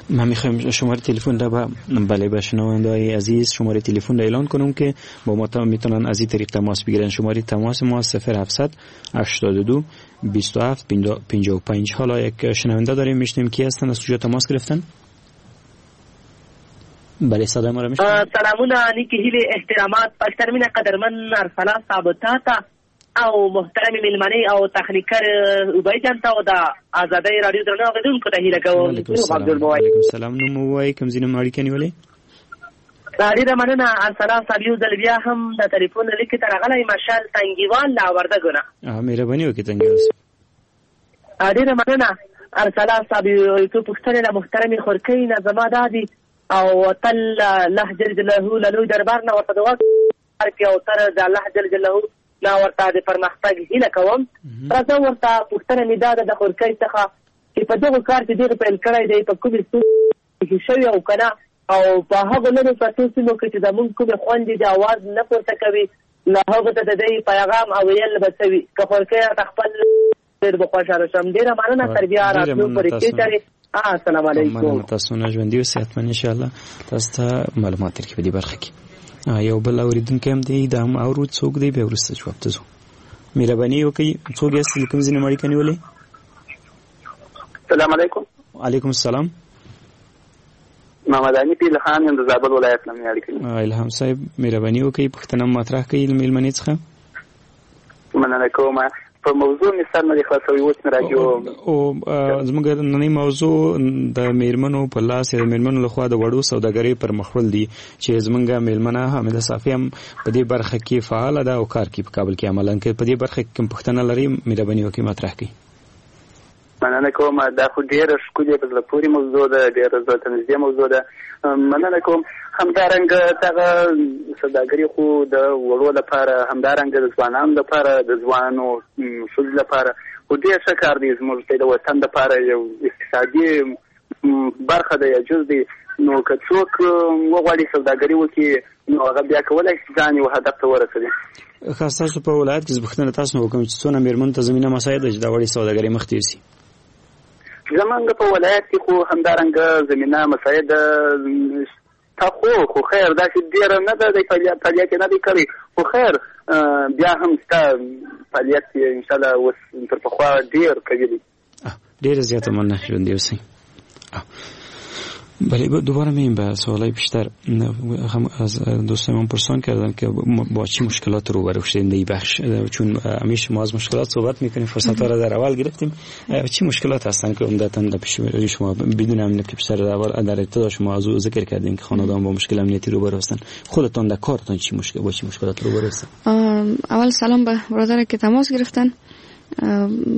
من میخوایم شماره تلفن را بله به شنونده‌های عزیز شماره تلفن را اعلان کنم که با ما میتونن از این طریق تماس بگیرن. شماره تماس ما 0782 27 55. حالا یک شنونده داریم، میشنیم کی هستن، از کجا تماس گرفتن؟ بله صدای ما را میشنوید؟ سلامونه، نیکی هیلې، احترامات، پښترمینه قدرمن ارسلا صاحب تاته او محترم میلمنې او تخنیکر ابی جان ته او د ازادۍ راډیو درنو اورېدونکو ته هیله کوم. وعلیکم السلام. نوم ووایئ، کوم ځای نه مو اړیکه نیولې؟ ډېره مننه ارسلا صاحب، یو ځل بیا هم د تلیفون لیکې ته راغلی مشال تنګیوال له وردګو نه. مهرباني وکړئ تنګیوال صاحب. ډېره مننه ارسلا صاحب، یو څو پوښتنې له محترمې خورکۍ نه زما دا دي او تل الله جل جلاله له لوی دربار نه ورته دعا کوي او تر د الله جل جلاله نه ورته د پرمختګ هیله کوم. راځه ورته پوښتنه مې دا ده د خورکۍ څخه چې په دغه کار چې دغه پیل کړی دی په کومې ستونزې شوې او که نه، او په هغو لرو پرتو سیمو کې چې زموږ کومې خویندې د اواز نه پورته کوي له هغو ته د دې پیغام او ویل به څه وي؟ که خورکۍ راته خپل ډېر به خوشحاله شم. ډېره مننه، تر بیا راتلو پورې چېرې. السلام علیکم. مننه تاسو نه، ژوندي اوسئ حتما ان شاء الله تاسو ته معلومات درکړي په دې برخه کې. یو بل اورېدونکی هم دی، دا هم اورو څوک دی، بیا وروسته جواب ته ځو. مهرباني وکړئ، څوک یاست، له کوم ځای نه مو اړیکه نیولې؟ السلام علیکم. علیکم السلام. محمد حنیف الهام یم، د زابل ولایت نه مې اړیکه نیولې. الهام صاحب مهرباني وکړئ، پوښتنه مطرح کړئ له مېلمنې څخه. مننه کوم. په موضوع مې سر نه دی خلاص شوی، اوس مې راډیو او زموږ ننۍ موضوع د میرمنو په لاس یا د میرمنو لخوا د وړو سوداګرۍ پر مخ وړل دي چې زموږ میلمنه حامده صافي هم په دې برخه کې فعاله ده او کار کوي په کابل کې عملاً. که په دې برخه کې کوم پوښتنه لري مهرباني وکړئ مطرح کړئ. مننه کوم. دا خو ډېره ښکلې په زړه پورې موضوع ده، ډېره زړه ته نږدې موضوع ده. مننه کوم. همدارنګه دغه سوداګري خو د وړو لپاره، همدارنګه د ځوانانو لپاره، د ځوانو ښځو لپاره خو ډېر ښه کار دی. زموږ د وطن لپاره یو اقتصادي برخه ده یا جز دی. نو که څوک وغواړي سوداګري وکړي نو هغه بیا کولی شي ځان یو هدف ته ورسوي. ښه، ستاسو په ولایت کې زه پوښتنه تاسو نه وکړم چې څونه مېرمنو ته زمینه مساعده چې دا وړې سوداګرۍ مخ ته یوسي؟ زمونږ په ولایت کې خو همدارنګه زمینه مساعده تا خو خیر داسې ډېره نه ده، دی فعالیت یې نه دی کړی، خو خیر بیا هم شته فعالیت یې انشاءالله اوس تر پخوا ډېر قوي دی. ډېره زیاته مننه، ژوندي اوسئ. بله، دوباره میایم به سوالای بیشتر. هم از دوستان پرسان کردن که با چی مشکلات روبرو شدیم در این بخش، چون همیشه ما از مشکلات صحبت میکنیم، فرصت ها را در اول گرفتیم. چی مشکلات هستن که عمدتاً در پیش شما، بدون امنیت که بیشتر در ابتدا شما از او ذکر کردیم که خانواده با مشکل امنیتی روبرو هستن، خودتان در کارتان چی مشکل با چی مشکلات روبرو هستن؟ اول سلام به برادر که تماس گرفتن.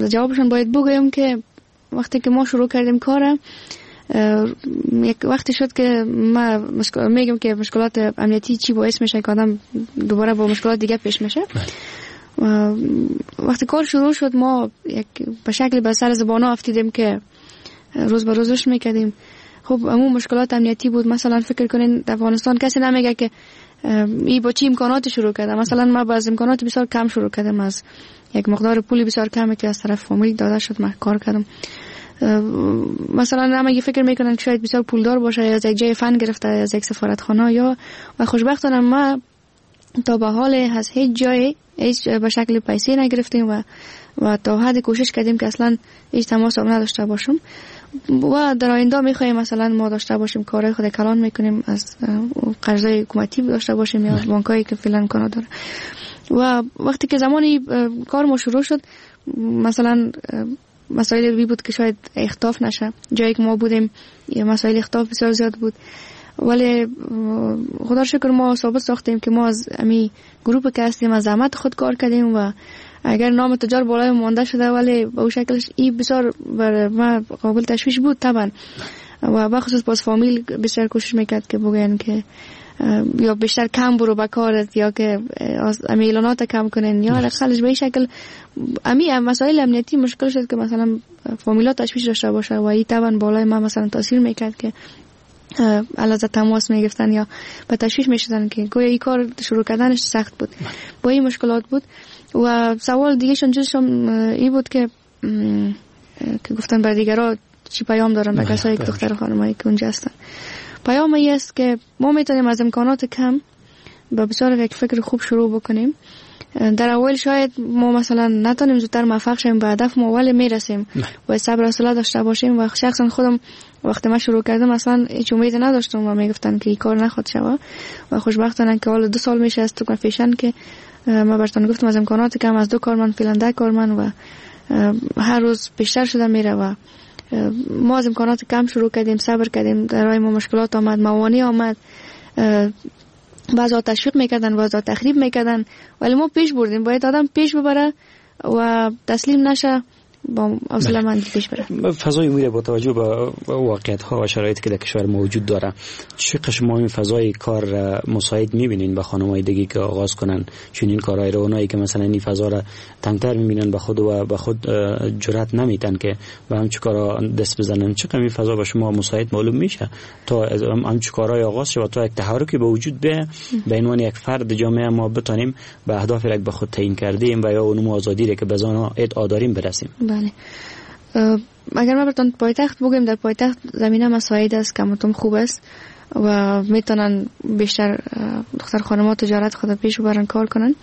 جوابشون باید بگویم که وقتی که ما شروع کردیم کار، یک وقتی شد که ما میگم که مشکلات امنیتی چی باعث میشه که آدم دوباره با مشکلات دیگه پیش میشه. وقتی کار شروع شد ما یک به شکل به سر زبانا افتیدیم که روز به روز رشد میکردیم. خب همون مشکلات امنیتی بود. مثلا فکر کنین در افغانستان کسی نمیگه که ای با چی امکانات شروع کرده. مثلا ما با از امکانات بسیار کم شروع کردم، از یک مقدار پولی بسیار کمی که از طرف فامیل داده شد من کار کردم. مثلا همه فکر میکنن که شاید بسیار پولدار باشه یا از یک جای فن گرفته یا از یک سفارتخانه یا، و خوشبختانه ما تا به حال از هیچ جای هیچ به شکل پیسه نگرفتیم و تا حد کوشش کردیم که اصلا هیچ تماس هم نداشته باشم. و در آینده میخوایم مثلا ما داشته باشیم کارهای خود کلان میکنیم، از قرضای حکومتی داشته باشیم یا بانکایی که فعلا امکانات داره. و وقتی که زمانی کار ما شروع شد، مثلا مسائل بی بود که شاید اختلاف نشه. جایی که ما بودیم مسائل اختلاف بسیار زیاد بود، ولی خدا شکر ما ثابت ساختیم که ما از امی گروه که هستیم از زحمت خود کار کردیم و اگر نام تجار بالای مانده شده ولی به اون شکلش این بسیار بر ما قابل تشویش بود طبعا. و بخصوص باز فامیل بسیار کوشش میکرد که بگن که یا بیشتر کم برو به کارت یا که از امی اعلانات کم کنن یا خلش به این شکل امی مسائل امنیتی مشکل شد که مثلا فامیلا تشویش داشته باشه و این طبعا بالای ما مثلا تاثیر میکرد که علاوه تماس میگرفتن یا به تشویش میشدن که گویا این کار شروع کردنش سخت بود، با این مشکلات بود. و سوال دیگه شون چیزشون این بود که گفتن بر دیگرا چی پیام دارن به کسایی که دختر خانمایی که اونجا هستن. پیام ای است که ما میتونیم از امکانات کم با بسیار یک فکر خوب شروع بکنیم. در اول شاید ما مثلا نتونیم زودتر موفق شیم به هدف ما، ولی میرسیم و صبر و حوصله داشته باشیم. و شخصا خودم وقتی من شروع کردم اصلا هیچ امید نداشتم و میگفتن که این کار نخواد شوه و خوشبختانه که حالا 2 سال میشه از تو فیشن که ما براتون گفتم از امکانات کم از 2 کارمند فعلا 10 کارمند و هر روز بیشتر شده میره و ما از امکانات کم شروع کردیم، صبر کردیم، در راه ما مشکلات آمد، موانع آمد، بعضا تشویق میکردن، بعضا تخریب میکردن، ولی ما پیش بردیم. باید آدم پیش ببره و تسلیم نشه، با حوصله مندی پیش بره. فضای میره با توجه به واقعیت ها و شرایطی که در کشور موجود داره، چه شما این فضای کار مساعد میبینین به خانم‌های دیگه که آغاز کنن چون این کارهای رو، اونایی که مثلا این فضا را تنگتر میبینن به خود و به خود جرأت نمیتن که به همچین کارا دست بزنن، چه این فضا به شما مساعد معلوم میشه تا همچین کارهای آغاز شه و تا یک تحرکی به وجود بیاد، به عنوان یک فرد جامعه ما بتونیم به اهدافی که به خود تعیین کردیم و یا اون آزادی که به زن ادعا داریم برسیم؟ بله، اگر ما براتون پایتخت بگیم، در پایتخت زمینه مساعد است، کمتون خوب است و میتونن بیشتر دختر خانم‌ها تجارت خود پیش ببرن، کار کنن.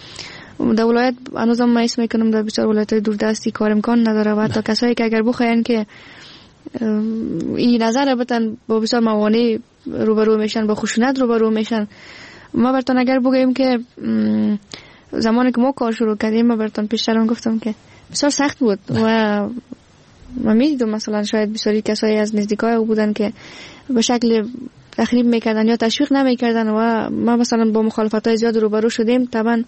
در ولایت هنوزم ما اسم میکنم در بسیار ولایت‌های دوردستی کار امکان نداره و حتی کسایی که اگر بخواین که این نظر بتن با بسیار موانع روبرو میشن، با خشونت روبرو میشن. ما براتون اگر بگیم که زمانی که ما کار شروع کردیم، ما براتون پیشترم گفتم که بسیار سخت بود و ما میدیدم مثلا شاید بسیاری کسایی از نزدیکای او بودن که به شکل تخریب میکردن یا تشویق نمیکردن و ما مثلا با مخالفت‌های زیاد روبرو شدیم طبعا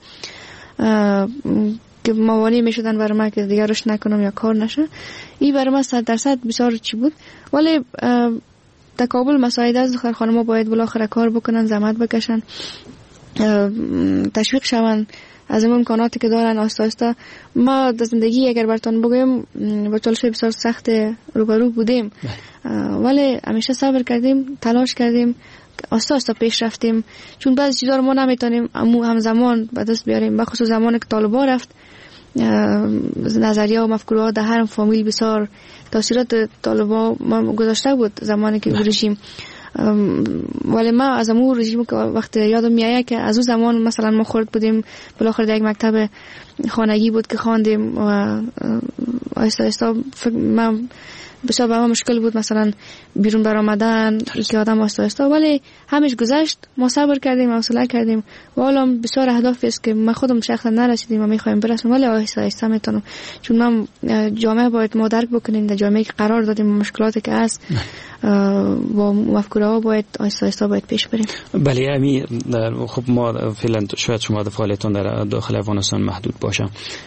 که موانع میشدن برای ما که دیگه رشد نکنم یا کار نشه. این برای ما 100% بسیار چی بود، ولی در کابل مساعد است. دختر خانم‌ها باید بالاخره کار بکنن، زحمت بکشن، تشویق شوند از این امکاناتی که دارن. آسته آسته ما در زندگی اگر براتون بگویم با چالش بسیار سخت روبرو بودیم، ولی همیشه صبر کردیم، تلاش کردیم، آسته آسته پیش رفتیم، چون بعضی چیزا رو ما نمیتونیم همزمان به دست بیاریم. به خصوص زمانی که طالبان رفت، نظریه و مفکوره ها در هر فامیل بسیار تاثیرات طالبان ما گذاشته بود زمانی که رژیم، ولی ما از امور رژیم که وقت یادم میآید که از اون زمان مثلا ما خرد بودیم، بالاخره در یک مکتب خانگی بود که خواندیم و آهسته آهسته من بسیار به ما مشکل بود مثلا بیرون برآمدن که آدم آهسته آهسته، ولی همش گذشت، ما صبر کردیم، حوصله کردیم و حالا بسیار اهداف است که من خودم شخصا نرسیدیم و میخوایم برسیم، ولی آهسته آهسته میتونم، چون من جامعه باید ما درک بکنیم، در جامعه که قرار دادیم مشکلاتی که هست با مفکوره ها باید آهسته آهسته باید پیش بریم. بله امی خب ما فعلا شاید شما فعالیتتون در داخل افغانستان محدود باشه،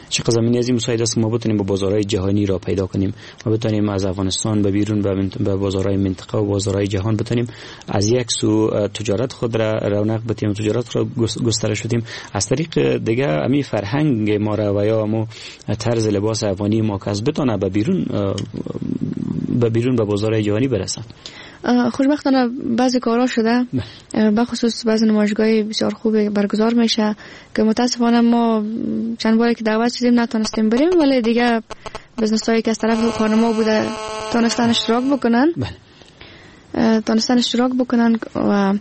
چه زمینی از این مساعد است که ما بتونیم با بازارهای جهانی را پیدا کنیم و بتونیم از افغانستان به بیرون به بازارهای منطقه و بازارهای جهان بتونیم از یک سو تجارت خود را رونق بدیم، تجارت را گسترش بدیم، از طریق دیگه امی فرهنگ ما را و یا امو طرز لباس افغانی ما که از بتونه به بیرون به بازارهای جهانی برسه. خوشبختانه بعضی کارا شده، به خصوص بعضی نمایشگاه بسیار خوب برگزار میشه که متاسفانه ما چند باری که دعوت شدیم نتونستیم بریم، ولی دیگه business هایی که از طرف خانم‌ها بوده تونستن اشتراک بکنن. تونستن اشتراک بکنن و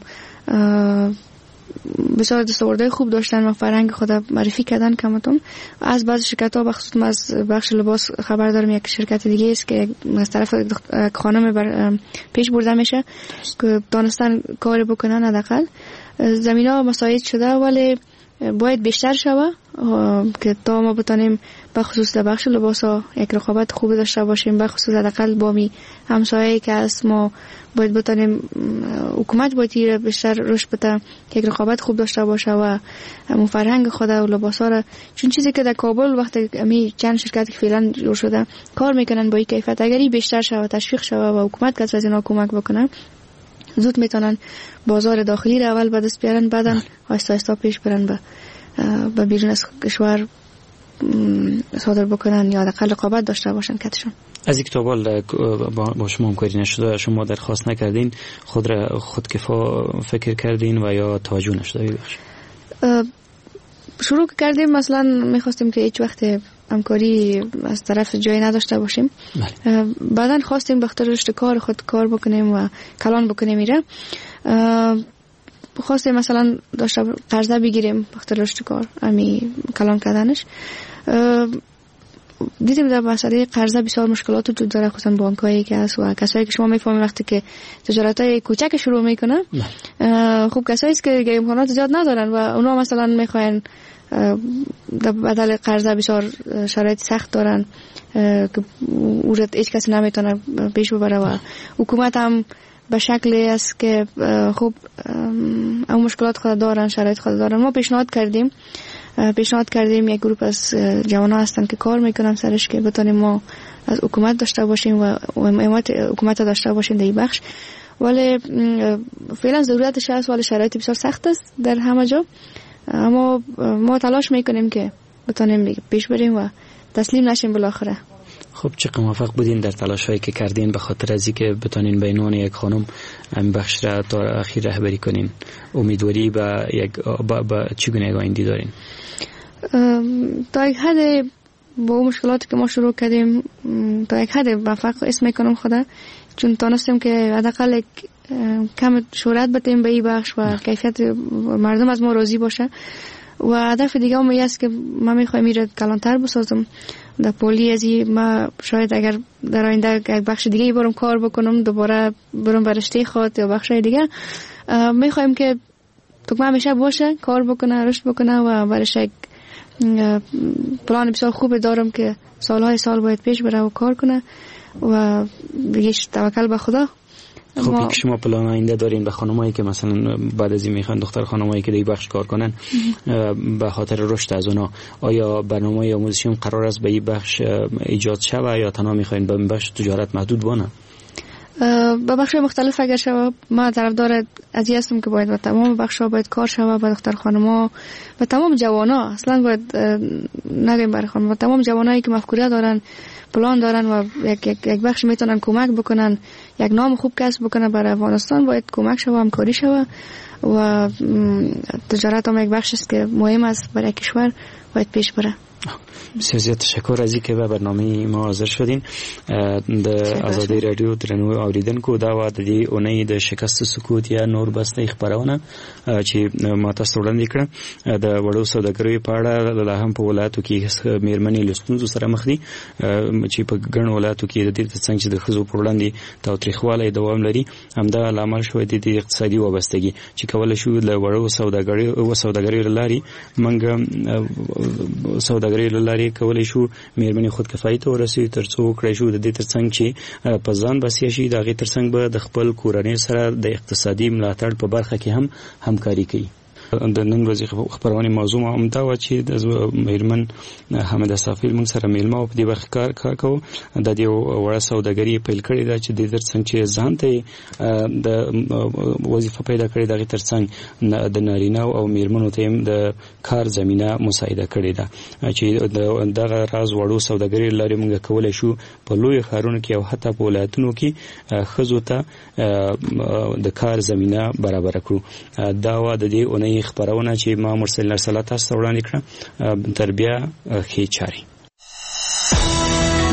بسیار دستاوردهای خوب داشتن و فرهنگ خود معرفی کردن کمتون. از بعض شرکت ها بخصوص از بخش لباس خبر دارم، یک شرکت دیگه است که از طرف خانم پیش برده میشه که دانستن کار بکنن، حداقل زمین ها مساعد شده، ولی باید بیشتر شوه که تا ما بتانیم به خصوص در بخش لباس ها یک رقابت خوب داشته باشیم، به خصوص حداقل با می همسایه که از ما باید بتانیم، حکومت باید بیشتر رشد بده که یک رقابت خوب داشته باشه و همون فرهنگ خود و لباس ها را، چون چیزی که در کابل وقتی می چند شرکت که فعلا جور شده کار میکنن با این کیفیت، اگر این بیشتر شوه تشویق شوه و حکومت کس از اینا کمک بکنه، زود میتونن بازار داخلی را اول به دست بیارن، بعدن آهسته آهسته پیش برن به بیرون از کشور صادر بکنن یا حداقل رقابت داشته باشن کتشون. از یک تا حال با شما همکاری نشده، شما درخواست نکردین، خود را خودکفا فکر کردین و یا توجه نشده؟ ببخشید. شروع کردیم مثلا میخواستیم که هیچ وقت همکاری از طرف جایی نداشته باشیم. بعدن خواستیم به خاطر رشد کار خود کار بکنیم و کلان بکنیم میره، خواستیم مثلا داشته قرضه بگیریم به خاطر رشد کار امی کلان کردنش. دیدیم در مسئله قرضه بسیار مشکلات وجود داره، خصوصا بانک‌هایی که هست و کسایی که شما میفهمید وقتی که تجارت‌های کوچک شروع میکنن، خب کسایی است که امکانات زیاد ندارن و اونا مثلا میخواین در بدل قرضه بسیار شرایط سخت دارن که او را هیچ کسی نمیتونه پیش ببره و حکومت هم به شکلی است که خب اون مشکلات خود دارن، شرایط خود دارن. ما پیشنهاد کردیم یک گروه از جوان‌ها هستن که کار میکنن سرش که بتونیم ما از حکومت داشته باشیم و حمایت حکومت داشته باشیم در این بخش، ولی فعلا ضرورتش هست، ولی شرایط بسیار سخت است در همه جا، اما ما تلاش میکنیم که بتونیم پیش بریم و تسلیم نشیم بالاخره. خب چقدر موفق بودین در تلاش هایی که کردین به خاطر از اینکه بتونین به عنوان یک خانم این بخش را تا اخیر رهبری کنین؟ امیدواری به یک با چگونه یک آینده دارین؟ تا یک حد با مشکلاتی که ما شروع کردیم تا یک حد موفق اسم میکنم خدا، چون تانستیم که حداقل یک کم شهرت بدیم به این بخش و کیفیت مردم از ما راضی باشه. و هدف دیگه هم است که ما میخوایم میره کلانتر بسازم در پولی از ما، شاید اگر در آینده یک بخش دیگه برم کار بکنم، دوباره برم برشته خود یا بخش دیگه، میخوایم که تکمه همیشه باشه، کار بکنه، رشد بکنه و برش یک پلان بسیار خوب دارم که سالهای سال باید پیش بره و کار کنه و دیگه توکل به خدا. خب که شما پلان آینده دارین به خانمایی که مثلا بعد از این میخوان دختر خانمایی که در بخش کار کنن به خاطر رشد از اونا، آیا برنامه آموزشی هم قرار است به این بخش ایجاد شوه یا تنها میخواین به این بخش تجارت محدود بانه؟ به بخش مختلف اگر شوه، ما طرفدار از این هستم که باید به تمام بخش ها باید کار شوه، به دختر خانما و تمام جوانا، اصلا باید نگیم برای خانم، و تمام جوانایی که مفکوره دارن، پلان دارن و یک بخش میتونن کمک بکنن، یک نام خوب کسب بکنن برای افغانستان، باید کمک شوه، همکاری شوه و تجارت هم یک بخش است که مهم است برای کشور، باید پیش بره. بسیار زیات تشکر از اینکه به برنامه ما حاضر شدین. د ازادي رادیو درنو اوریدونکو، دا وه د دې اونۍ د شکست سکوت یا نور بس دی خپرونه چې ما تاسو وړاندې کړه. د وړو سوداګریو په اړه لا هم په ولایتو کې میرمنې له ستونزو سره مخ دي، چې په ګڼو ولایتو کې د دې ترڅنګ چې د ښځو پر وړاندې تاوتریخوالی دوام لري، همدا لامل شوی دی د اقتصادي وابستګي چې کولی شو له وړو سوداګریو له لارې موږ سوداګریو له لارې کولی شو میرمنې خودکفایي ته ورسوي، ترڅو وکړای شو د دې ترڅنګ چې په ځان بسیا شي، د هغې ترڅنګ به د خپل کورنۍ سره د اقتصادي ملاتړ په برخه کې هم همکاري کوي. د نن ورځې خپرونې موضوع هم دا وه چې د میرمن حامده صافي موږ سره میلمه او په دې برخه کار کوو. د دې وړه سوداګري پیل کړې ده چې د دې ترڅنګ چې ځان ته د وظیفه پیدا کړې، د هغې ترڅنګ د نارینه او میرمنو ته هم د کار زمینه مساعده کړې ده، چې دغه راز وړو سوداګري لارې موږ کولی شو په لویو ښارونو کې او حتی په ولایتونو کې ښځو ته د کار زمینه برابره کړو. دا وه د دې اونۍ خپرونه چې ما مرسل ارسلا تاسو ته وړاندې کړه. تر بیا ښې چارې.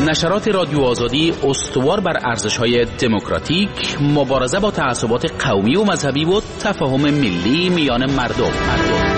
نشرات رادیو آزادی استوار بر ارزش‌های دموکراتیک، مبارزه با تعصبات قومی و مذهبی و تفاهم ملی میان مردم.